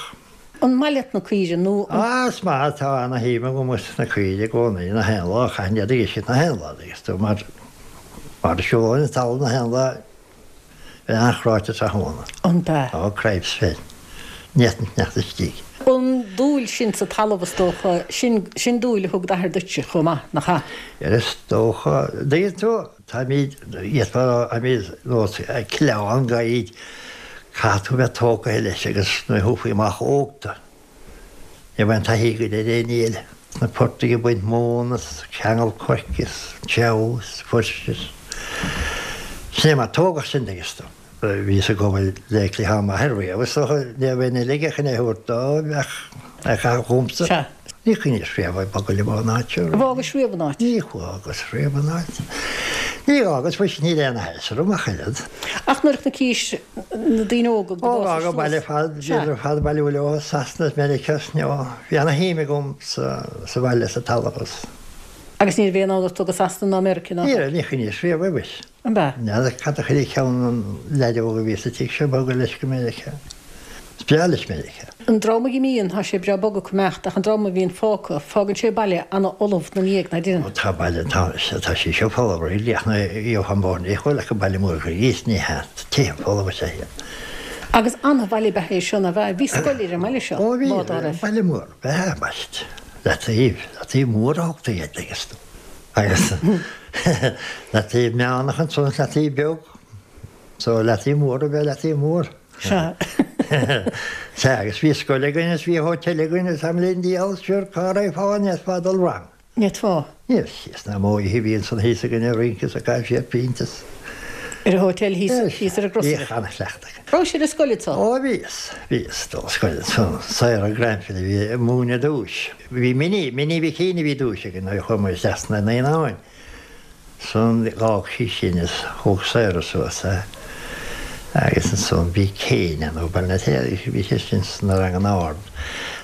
An maith leat na caoirigh nó an. Á, is maith, tá ana shuim agam sna caoirigh i gcónaí, na haon lá, chaithfinn iad a fheiscint na haon lá, agus tú mar, mar a siúlóinn an talamh na haon lá, Bheinn an-chráite tráthnóna. An b'ea? Á, cripes, bheinn. Ní fhéadfainn fanacht istigh. An dúil sin sa talamh, is dócha, sin, sin dúil a thug d'athair duitse chomh maith, nach ea? Is dócha. Dtuigeann tú, táimid, d'fhéadfá a rá, táimid nós clann gaid, caithfidh tú bheith tógtha leis agus nuair a thabharfaí amach óg tú. Ní raibh aon taithí agat ar aon ní eile. Sna portaigh ag baint móna is ceangal coirce is treabhadh is fuirse is. Sin é mar tógadh sinn dtuigeann tú. Bhíos ag obair le cliathán m'athar riamh is dócha ní raibh aon eile aige chun é a thabhairt dó ach é a chaitheamh chughamsa. Sea. Ní chuimhníos riamh ag bogadh liom ón áit seo. Ar fhágais riamh an áit? Ní fhágas riamh an áit. Ní fhágas, mhuise níl aon aithris orm ach oiread. Ach nuair a chonaicis na daoine óga go Ó, bhfág an baile ar fad, bhíodar ar fad ag bailiú leo as Sasana is Meiriceá is you know, bhí ana shuim agam sa, sa bhaile, sa talamh is. Agus ní raibh aon fhonn ort dul go Sasana ná Meiriceá ná? Ní raibh, ní chuimhníos riamh air, mhuise. An b'ea? N'fheadar cad a chuir i gceann an leaid óg a bhí sa tigh seo bogadh leis go Meiriceá. Is breá leis Meiriceá. An dream a dh'imíonn, tá sé breá bog acu imeacht, ach an dream a bhíonn fágtha, fágann sé baile ana-fholamh 'na ndiaidh, ná deineann? Ó tá baile, tá, tá sí seo folamh really ach nuair a gheofá an bóthar ní chuala ach an baile mór thíos, ní hea, tá tithe folamh is ea iad. Agus ana-bhaile ab ea é seo, ná b'ea? Bhí scoil ar an mbaile seo, Ó bhí, lá dá raibh. baile mór ab ea, baist, leataobh, leataobh mór a thugtaí air, agus. Agus leataobh meánach ansan is leataobh beag. So leataobh mór ab ea leataobh mór. Sea. Sea, agus bhí scoil againn is bhí hotel againn is am linn diabhal sure cá raghfá an bhféadfá dul wrong. Ní fhéadfá. Ní thíos ná amuigh oíche bhí ansan thíos againn ag rince is ag caitheamh siar pint is. Ar an hotel thíos, thíos ar an gcrosaire. Bhíodh an-chleachtadh againn. Raibh sibh ar scoil anso? Ó bhíos, bhíos ag dul ar scoil ansan. Sarah Grenfell a bhí ag múineadh ar dtúis. Bhí Minnie, Minnie Mhic Aoidh a bhí dtúis againn nuair a chuaigh muid isteach sna naíonáin. Ansan d'fhág sí sin is thóg Sarah suas é agus ansan bhí Kane ann ó Baile na bhí sé sin sna ranganna ard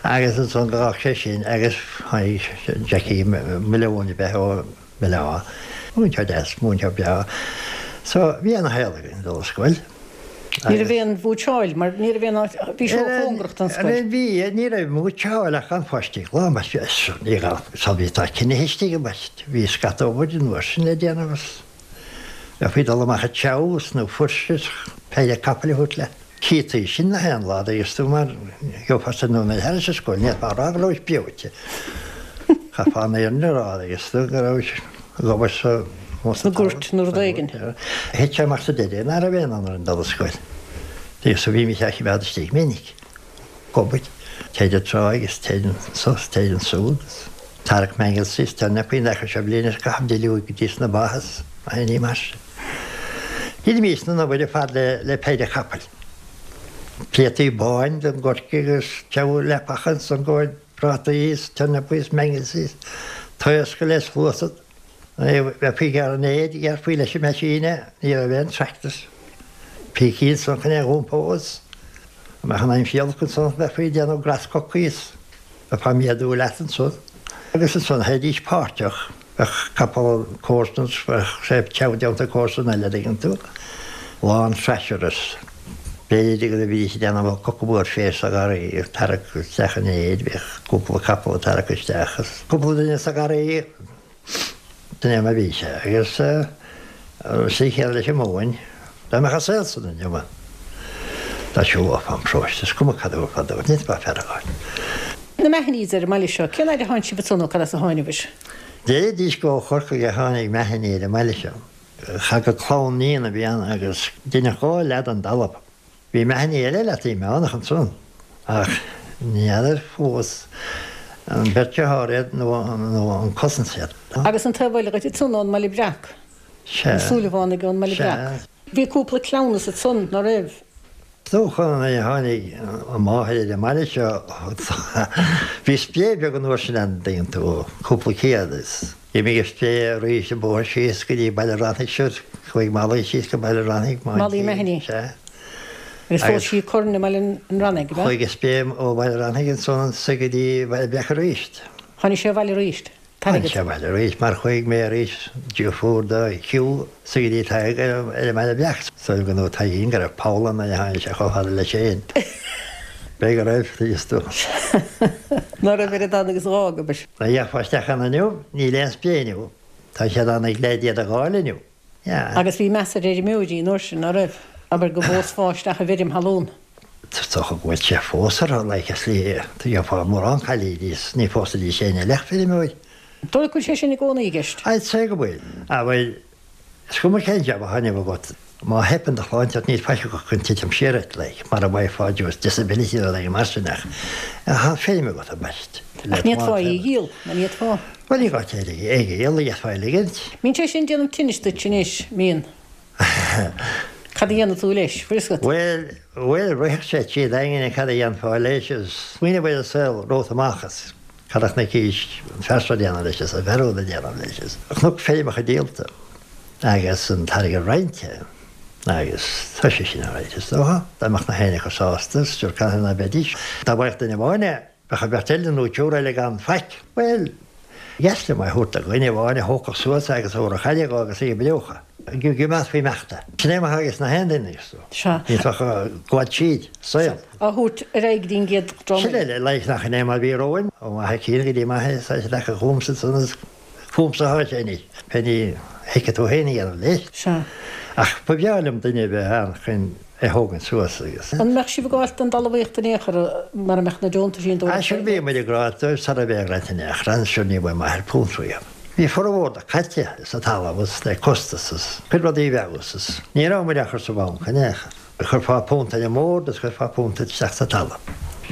agus ansan d'fhág sé sin agus tháinig Jackie Malone ab ea ó Bhaile Átha. Múinteoir deas, múinteoir breá. So bhí ana-shaol againn ag dul ar scoil. Ní raibh aon mhúitseáil mar ní raibh aon áit, bhí sé róchóngarach don scoil. Bhí, ní raibh múitseáil ach gan pháistí glan, mar ní raibh, so bhí tá cinnithe istigh i mbaist, bhí scata obair an uair sin le déanamh agus bheifí ag dul amach ag treabhadh is nó fuirse is péire capaill a thabhairt leat. Cíotaí sin na haon lá d'fhios tú mar gheofá sa nóiméad thairis an scoil, ní fhéadfá a rá go rabhais breoite. Chaithfeá an fhírinne a rá d'fhios tú go rabhais ag obair sa Sna goirt nó rud éigin. Thit sé amach sa deireadh nach raibh aon fhonn orainn dul ar scoil. D'fhios tú bhímis á choimeád istigh minic. Ag obair. Téid an tráigh is téid anso is téid ansúd is tarrac mangels is turnapaí an dtaca seo bliain is caitheamh duilleoig go dtí sna ba is aon ní mar sin. Dheinímis an obair ar fad le péire capaill. Pléataí báin don gcoirce agus treabhadh leapacha ansan go prátaí is turnapaí is mangels is taoscadh le sluasad. Bheifí ag gearradh an fhéir, ghearrfaí leis an meaisín é, ní raibh aon tractors. Pící ansan chun é a dh'iompó is dá mbeadh an aimsir olc ansan bheifí ag déanamh grasscocaí is bheifeá ag méadú leat ansan. Agus ansan théidís páirteach. Bheadh capall comharsan is bheadh sé treabhadh déanta ag comharsan eile, dtuigeann tú. Lán thresher is b'fhéidir go bhídís ag déanamh coca mór féir sa gharraí ag tarrac isteach an fhéir, bhíodh cúpla capall ag tarrac isteach is cúpla duine sa gharraí, sin é mar a bhí sé. Agus an tslí chéanna leis an móin, dá mbeadh an saol san inniu ann, dá siúlófá an paróiste, is cuma cad a thabharfá dóibh, ní fhéadfá fear a fháil. Na Mahonys ar an mbaile seo, cén fhaid a tháinig sibh anso nó cad as a tháinibhis? Deiridís gur ó Chorcaigh a tháinig Mahony ar an mbaile seo. Cha go clann níon a bhí ann agus deineadh dhá leath den dtalamh. Bhí Mahony eile Leataobh Meánach ansan ach ní fheadar fós an beirt dearthár iad nó an cousins iad. Agus an taobh eile dhuit ansan ón mBaile Breac. Sea. Na Súilleabhánaigh ón mBaile Breac. Bhí cúpla cleamhnas ansan, ná raibh? Is dócha nuair a tháinig an mháthair ar an mbaile seo, bhí spré beag an uair sin ann, dtuigeann tú, cúpla céad is. D'imigh an spré arís an bóthar síos go dtí Baile Rannaigh siúd, chuaigh Molly síos go Baile Rannaigh, Molly Mahony. Sea. Agus phós sí Curran i mBaile an Rannaigh, ab ea? Chuaigh an spré ó Bhaile Rannaigh ansan anso go dtí Baile Breac arís. Tháinig sé abhaile arís. Tháinig sé abhaile arís mar chuaigh mé arís deirfiúr do Hugh sa go dtí Tadhg ar an mBaile Breac. Is dóigh go ndúirt Taidhgín go raibh poll ann nuair a tháinig sé chomh fada leis féin. B'fhéidir go raibh, is dócha. Ná raibh oiread ann agus dh'fhágabais. Dá dtiocfá isteach ann inniu, níl aon spré inniu. Tá siad ana-glad iad a dh'fháil inniu. Yeah. Agus bhí meas ar fheirmeoirí an uair sin, ná raibh? Abair go bpósfá isteach i bhfeirm thalún. Is dócha go bhfuil sé fós orthu, like, is ní gheofá mórán cailíní is ní phósfaidís éinne eile ach feirmeoir. Dóigh go bhfuil sé sin i gcónaí i gceist? I'd say go bhfuil. Ah bhuel, is cuma cén jab atá inniu agat, má theipeann do shláinte ort níl faic agat chun titim siar ort, like, mara bhfaighfeá just disability nó rud éigin mar sin ach tá feirm agat ambaist. Ach ní fhéadfá í a dhíol, nó ní fhéadfá? Bhuel ní gá duit é a dhíol, d'fhéadfá í a ligint. Mbíonn sé sin ag déanamh tinnis duit anois, mbíonn? Cad a dhéanfaidh tú leis? Bhfuil fhios agat? Bhuel, bhuel, rithfeadh sé trí d'aingne cad a dhéanfá leis is smaoineamh ar an saol romhat amach is. Cad a chonaic an fear seo ag déanamh leis is an fear úd ag déanamh leis is. Chonac feirmeacha díolta agus an t-airgead roinnte agus tá sé sin alright is dócha. Dá mbeadh nach éinne acu sásta, sure cathain ná beidís. Dá bhfaigheadh duine amháin é, bheadh an bheirt eile nó triúr eile gan faic. Bhuel, dheas liom é a thabhairt do dhuine amháin a thógfadh suas é agus a thabharfadh aire dhó agus a dh'oibreodh é. Go gcoimeádfaí imeacht é. Sin é mar atá aige nach aon duine is tú. Sea. Ní bheadh gabháil tríd, saol. Á thabhairt ar aghaidh go dtí an gcéad dream Sin eile, like nach in é mar bhí romhainn, ó m'athair cinn go dtí m'athair, tá sé leagtha chughamsa ansan is fúmsa atá sé anois. Pé ní thuigfidh tú féin a dhéanamh leis. Sea. Ach ba bhreá liom duine a bheith ann chun é thógaint suas agus. An mbeadh sibh ag gabháilt don dtalmhaíocht in aon chor mara mbeadh na deontaisí an dóigh? Sure bhí muid ag rá dóibh sara bheith ag roinnt in aon chor, sure ní bhfuair m'athair punt riamh. Bhí formhór de caite sa talamh is le costas is cuid rudaí a bheadh is ní raibh muid á chur sa bhanc in aon chor. Chuirfeá punt ar an mbord is chuirfeá punt isteach sa talamh.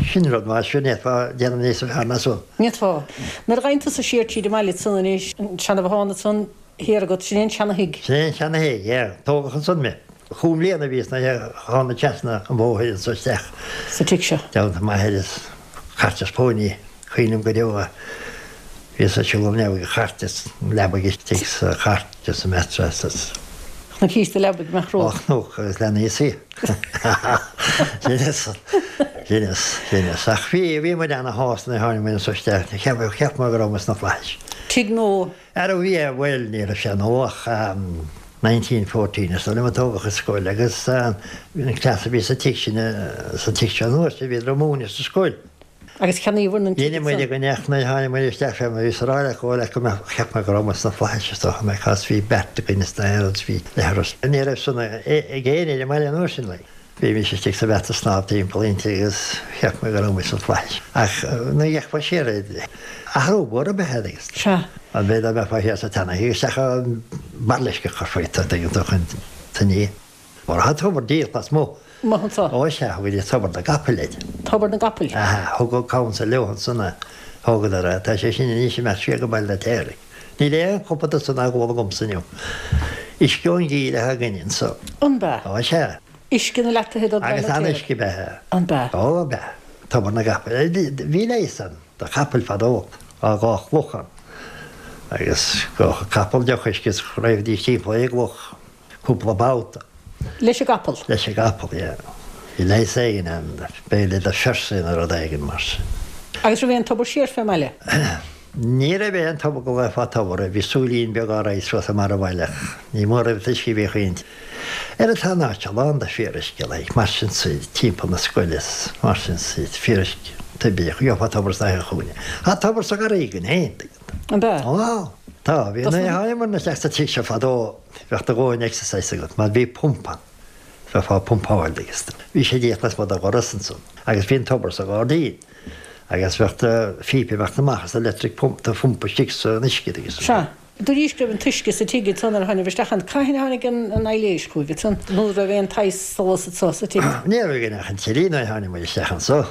Sin rud maith, sure ní fhéadfá déanamh níos fearr ná san. Ní fhéadfá. Nuair a ghabhann tusa siar tríd an mbaile ansan anois, an seanbhothán ansan thiar agat, sin é an seana-thigh. Sin é an seana-thigh, yeah. Tógadh ansan mé. Chúig mbliana a bhíos nuair a tháinig trasna an bhóthair anso isteach. Sa tigh seo. Dteannta m'athair is cairt is póiní. Cuimhním go deo é. Bhíos ag siúl an leabhaidh an chairt is an leabaidh istigh sa chairt is an mattress is. Chnoicís do leabaidh amach romhat. Ó chnoc agus leanaí is í. Genius. Genius. Genius. Ach bhí, bhí muid ana-shásta nuair a tháinig muid anso isteach. Cheap, cheap mé go raibh muid sna flaithis. Tigh nua. Ara bhí, bhuel ní raibh sé nua ach 1914 is dóigh liom a tógadh an scoil agus bhí an cleas a bhí sa tigh sin, sa tigh seo an uair sin, bhíodar ag múineadh sa scoil. Agus cheannaíobhair an tigh Dhein muid go ndeach nuair a tháinig muid isteach fé mar bhíos a rá leat go bhfuil go mbeadh, cheap mé go raibh muid sna flaithis is dócha mé cos bhí beirt againn is na agus bhí leithreas. Ní raibh san ag éinne ar an mbaile an uair sin like. Bhí mise istigh sa bheat ag snámh timpeall inti agus cheap mé go raibh muid sna flaithis. Ach nuair a d'fhéachfá siar air, athrú mór ab ea é agus. Sea. An bhféadfá bheifeá thiar sa tseana-thigh isteach an bairlisc a chur faoi, tuigeann tú chun tine. Mar tá tobar díreach lasmuigh. Amuigh anso. Ó sea, thugaidís Tobar na gCapall air. Tobar na gCapall. Aha, thug an council leo ansan é. Thógadar é. Tá sé sin anois imeacht siar go Baile an Fheirtéaraigh. Níl aon chupa de san á ól agamsa inniu. Uisce ón gcill atá againne anso. An b'ea? Ó sea. Uisce na leataithe do Baile Agus an an-uisce ab ea é. An b'ea? Ó, ab ea. Tobar na gCapall. Bhí leigheas ann do chapaill fadó. Tá dhá chloch ann. Agus dh'ólfadh capall deoch uisce is raghadís timpeall ar an gcloch. Cúpla babhta. Leis an gcapall? Leis an gcapall, yeah. Bhí leigheas éigin ann, b'fhéidir do pheirsigh nó rud éigin mar sin. Agus raibh aon tobar siar fén mbaile? Ní raibh aon tobar go nglaofá tobar air, bhí súilín beag á raghaidh suas i mbarr an bhaile ach ní mór an t-uisce a bhíodh inti. Ara tá an áit seo lán de fíoruisce, like, mar sin sa, timpeall na scoile is mar sin sa, fíoruisce poiblí, gheofá tobar sna haon chúinne. Tá tobar sa gharraí againn féin, tuigeann tú. An b'ea? Á, tá. Bhí nuair a tháinigeamar isteach sa tigh seo fadó, Bheadh do dhóthain exercise agat mar bhí pump ann. Bheifeá ag pumpáil agus bhí sé díreach lasmuigh de dhoras ansan agus bhí an tobar sa ghairdín agus bheadh do phíopa imeacht amach as electric pump do phumpa istigh san uisce agus. Sea. Dúraís go raibh an t-uisce sa tigh ansan nuair a tháinibh isteach ann. Cathain a tháinig an aibhléis chugaibh ansan? Nó raibh aon tsaghas solas anso sa tigh? Ní raibh againn ach an teilí nuair a tháinig muid isteach anso.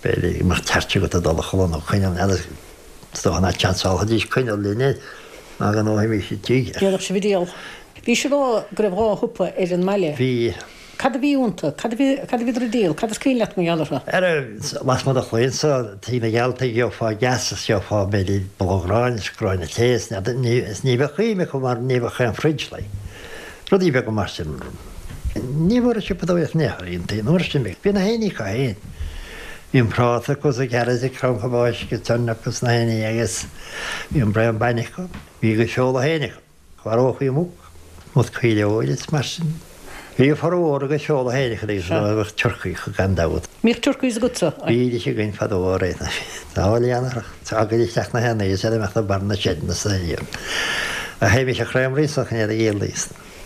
B'fhéidir go mbeadh torch agat ag dul a chodladh nó coinneal n'fheadar. Is dócha nach seansálfaidís coinneal linne ná go ndóimis an tigh. Dhéanfadh sibh an diabhal. Bhís ag rá go raibh dhá shiopa ar an mbaile. Bhí. Cad a bhí iontu? Cad a bhí, cad a bhíodar ag díol? Cad is cuimhin leat mar gheall orthu? Ara, lasmuigh de chlaí anso, Tigh na Gealtaigh, gheofá gas is gheofá b'fhéidir bulóg aráin is gráinne tae is n'fheadar, ní, is ní bheadh ime acu mar ní bheadh aon fridge like. Rudaí beaga mar sin. Ní bhfuair siopadóireacht in aon chor iontaí an uair sin. Bhí na héinní acu féin. Bhí an práta acu is an carrot is cranncha báisc is turnip is na héinní agus bhí an braon bainne acu. Bhí a gcuid feola féin acu. Mharófaí muc, muc coileoir is mar sin. Bhí a formhór a gcuid feola féin acu agus bheadh turcaí acu gan dabht. Mbíodh turcaí agatsa? Bhídís againn fadó ó ré na n-oileánach. Tagaidís isteach na héanaí is iad imeacht i mbarr na seideanna sa rian. A théimis a chréamraí sa chnéad a dhíoldaí.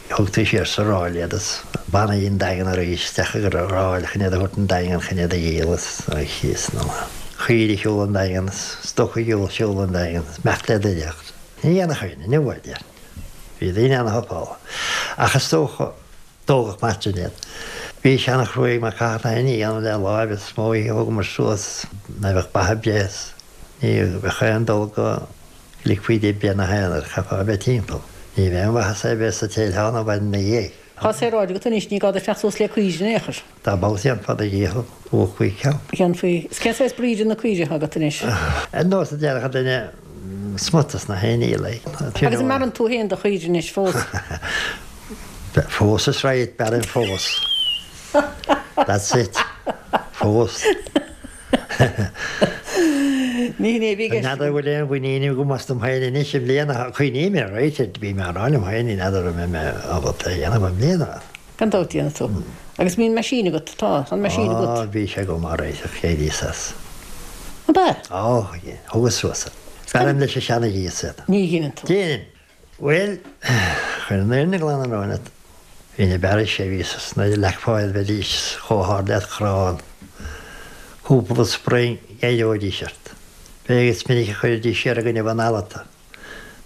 Thugtaí siar sa ráil iad is bannaí an Daingean arís isteach ag an ráil chun iad a thabhairt an Daingean chun iad a dhíol is a chíos nó caoirigh shiúl an Daingean is stoc a shiúl siúl an Daingean is imeacht le doireacht. Ní dhéanfadh éinne inniu é, déarfainn. Bhí daoine ana-thapála. Ach is dócha. Tógadh mar sin iad. Bhí sé ana-chruaidh mar caithfeadh na héinní a dhéanamh le láimh is mó oíche a thugamar suas ná bheadh beatha breith is ní bheadh aon dul go ligfí di breith na haonair, chaithfeá a bheith timpeall. Ní bheadh aon mhaitheas ar bith sa téiltheán an mhaidin ina dhiaidh. Tá saoráid agat anois, ní gá duit fanacht suas le caoire in aon chor. Dá mb'fheabhas dhéanfá do dhícheall, bhuafá ceann. Dhéanfaí. Is cén saghas brí de na caoirigh atá agat anois? Ar nós a déarfadh duine smut as na héiní like. Agus an mbearrann tú féin do chaoirigh anois fós? Fós is right, bearraim fós. That's it. Fós. Ní hin é a bhí i gceist. N'fheadar an bhfuil aon mhuinín agam astam féin anois i mbliana. Cuimhním air, right, bhí mé á rá liom féin, ní fheadar an mbeidh mé ábalta é a dhéanamh i mbliana. Gan dabht déanfaidh tú. Agus bíonn meaisín agat, tá, tá an meaisín agat. Á, bhí sé agam alright ach d'éiríos as. Ab ea? Á, thugas suas é. Bearraim leis an seana-ghíos iad. Ní dheineann tú. Déanaim. Bhuel, chun an fhírinne glan a rá leat, bhínn ag bearradh sé bhíos nuair a leagfá iad bheidís chomh hard le crann. Cúpla spring d'éireoidís ort. B'é is minic a chuiridís siar i gcoinnibh an fhalla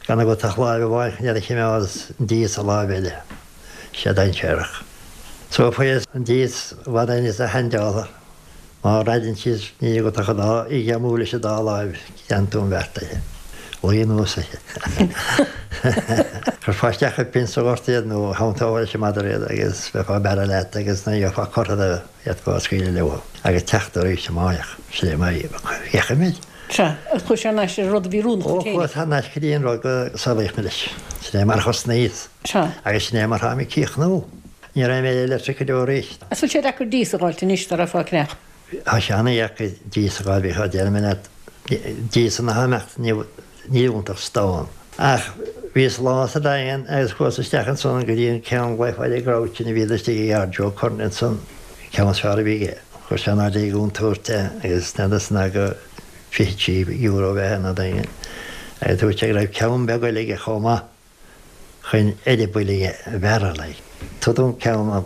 gan agat ach láimh amháin chun iad a chimeád is an dias sa láimh eile. Sé dainséarach. So fuaireas an dias i bhfad níos handála. Má raideann siad níl agat ach an dá oíche amú leis an dá láimh, déanann tú an bheart uirthi. Luí anuas uirthi. Chuirfeá isteach i bpinn sa ghort iad nó thiontófá leis an madra iad agus bheifeá ag bearradh leat agus nuair a gheofá cortha de d'fhéadfá scaoileadh leo agus teacht arís amárach. Sin é mar a fhéachaimid. Sea, agus chuaigh sé thar n-ais ar an rud a bhí oiriúnach duit féinig. Ó, chuas thar n-ais go dtí an rud go saolaíodh mé leis. Sin é mar a thosnaíos. Sea. Agus sin é mar tháim ag críochnú. Ní raibh mé electric go deo arís. Is bhfuil sé deacair dias a dh'fháilt anois dá raghfá ag ceannach? Tá sé ana-dheacair dias a dh'fháil, bhí, déarfaidh mé leat, diasanna atá imeacht, níl iontu ach stán. Ach bhíos lá sa Daingean agus chuas isteach ansan go dtí an ceann glaofá air an Grouch sin a bhíodh istigh i gcarr Joe Curran ansan, ceann is fearr a bhí aige. Chuir sé in airde i gcontúirt é agus n'fheadar ná go €23 a bheith ina Daingean. Agus dúirt sé go raibh ceann beag eile aige chomh maith. chun eireabaill a bhearradh like. Tabhair dom ceann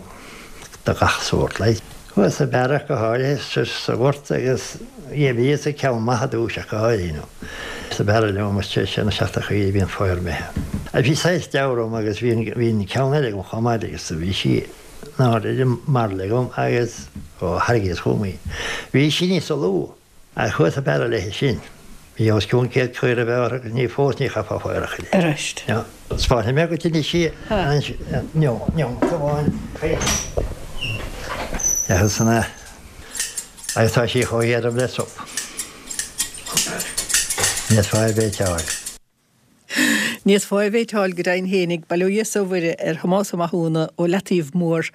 de gach sórt like. Chuas ag bearradh go háirithe sa sa ghort agus yeah bhíos ag ceann maith i dtús ach go háirithe you know. Ag bearradh liom agus tar éis na seachtaine chaoi bhí an féar imithe. Bhí saghas deabhradh orm agus bhí an bhí an ceann eile agam chomh maith agus bhí sí in airde ar an mbairille agam agus ó tharraingíos chugam í. Bhí sí níosa lú. Ach chuas ag bearradh léi sin. Bhí os cionn 100 caora a bheith orthu agus ní fós ní chaithfeá féar a chur. Arís. Spáinfidh mé dhuit anois í neomat amháin. Agus san ea. Agus tá sí chomh héadrom le sop. Ní fhéadfá ar bith a fháil. Ní fhéadfá ar bith a fháil go deimhin fhéinig, bail ó Dhia 's ó Mhuire ar Thomás Ó Mathúna ó Leataobh Mór.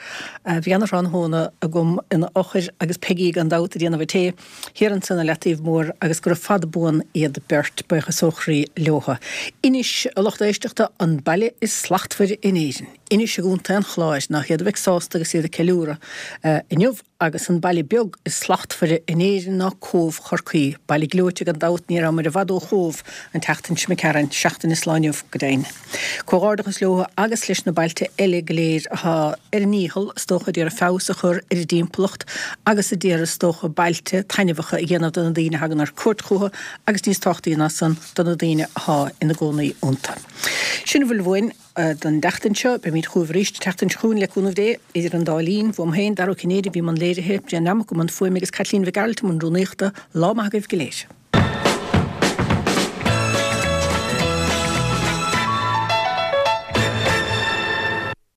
Bhí ana-thráthnóna agam ina fhochair agus Peigí gan dabht ag déanamh an tae thiar ansan i Leataobh Mór agus gura fada buan iad beirt, buíochas ó chroí leotha. Inis, a lucht éisteachta, an baile is slachtmhaire in Éirinn. Inis i gContae an Chláir, nach iad a bheidh sásta agus iad ag ceiliúradh inniu. Agus an baile beag is slachtmhaire in Éirinn ná Cóbh Chorcaí. Baile gleoite gan dabht, ní rabhamar i bhfad ó Chóbh an tseachtain seo imigh tharainn, seachtain is lá inniu go deimhin. Comhghairdeachas leo agus leis na bailte eile go léir atá ar a ndícheall is dócha ag iarraidh feabhas a chur ar a dtimpeallacht agus a d'iarraidh is dócha bailte taitneamhacha a dhéanamh do na daoine a thagann ar cuairt chucu agus níos tábhachtaí ná san do na daoine atá ina gcónaí iontu. Sin a bhfuil uainn. don tseachtain seo. Beimid chugaibh arís an tseachtain seo chugainn le cúnamh Dé. Idir an dá linn, uaim féin, Dara Ó Cinnéide a bhí i mbun léirithe, Brian Nammock i mbun fuaime agus Caitlín Mhic Gearailt i mbun rúnaíochta. Lá maith agaibh go léir.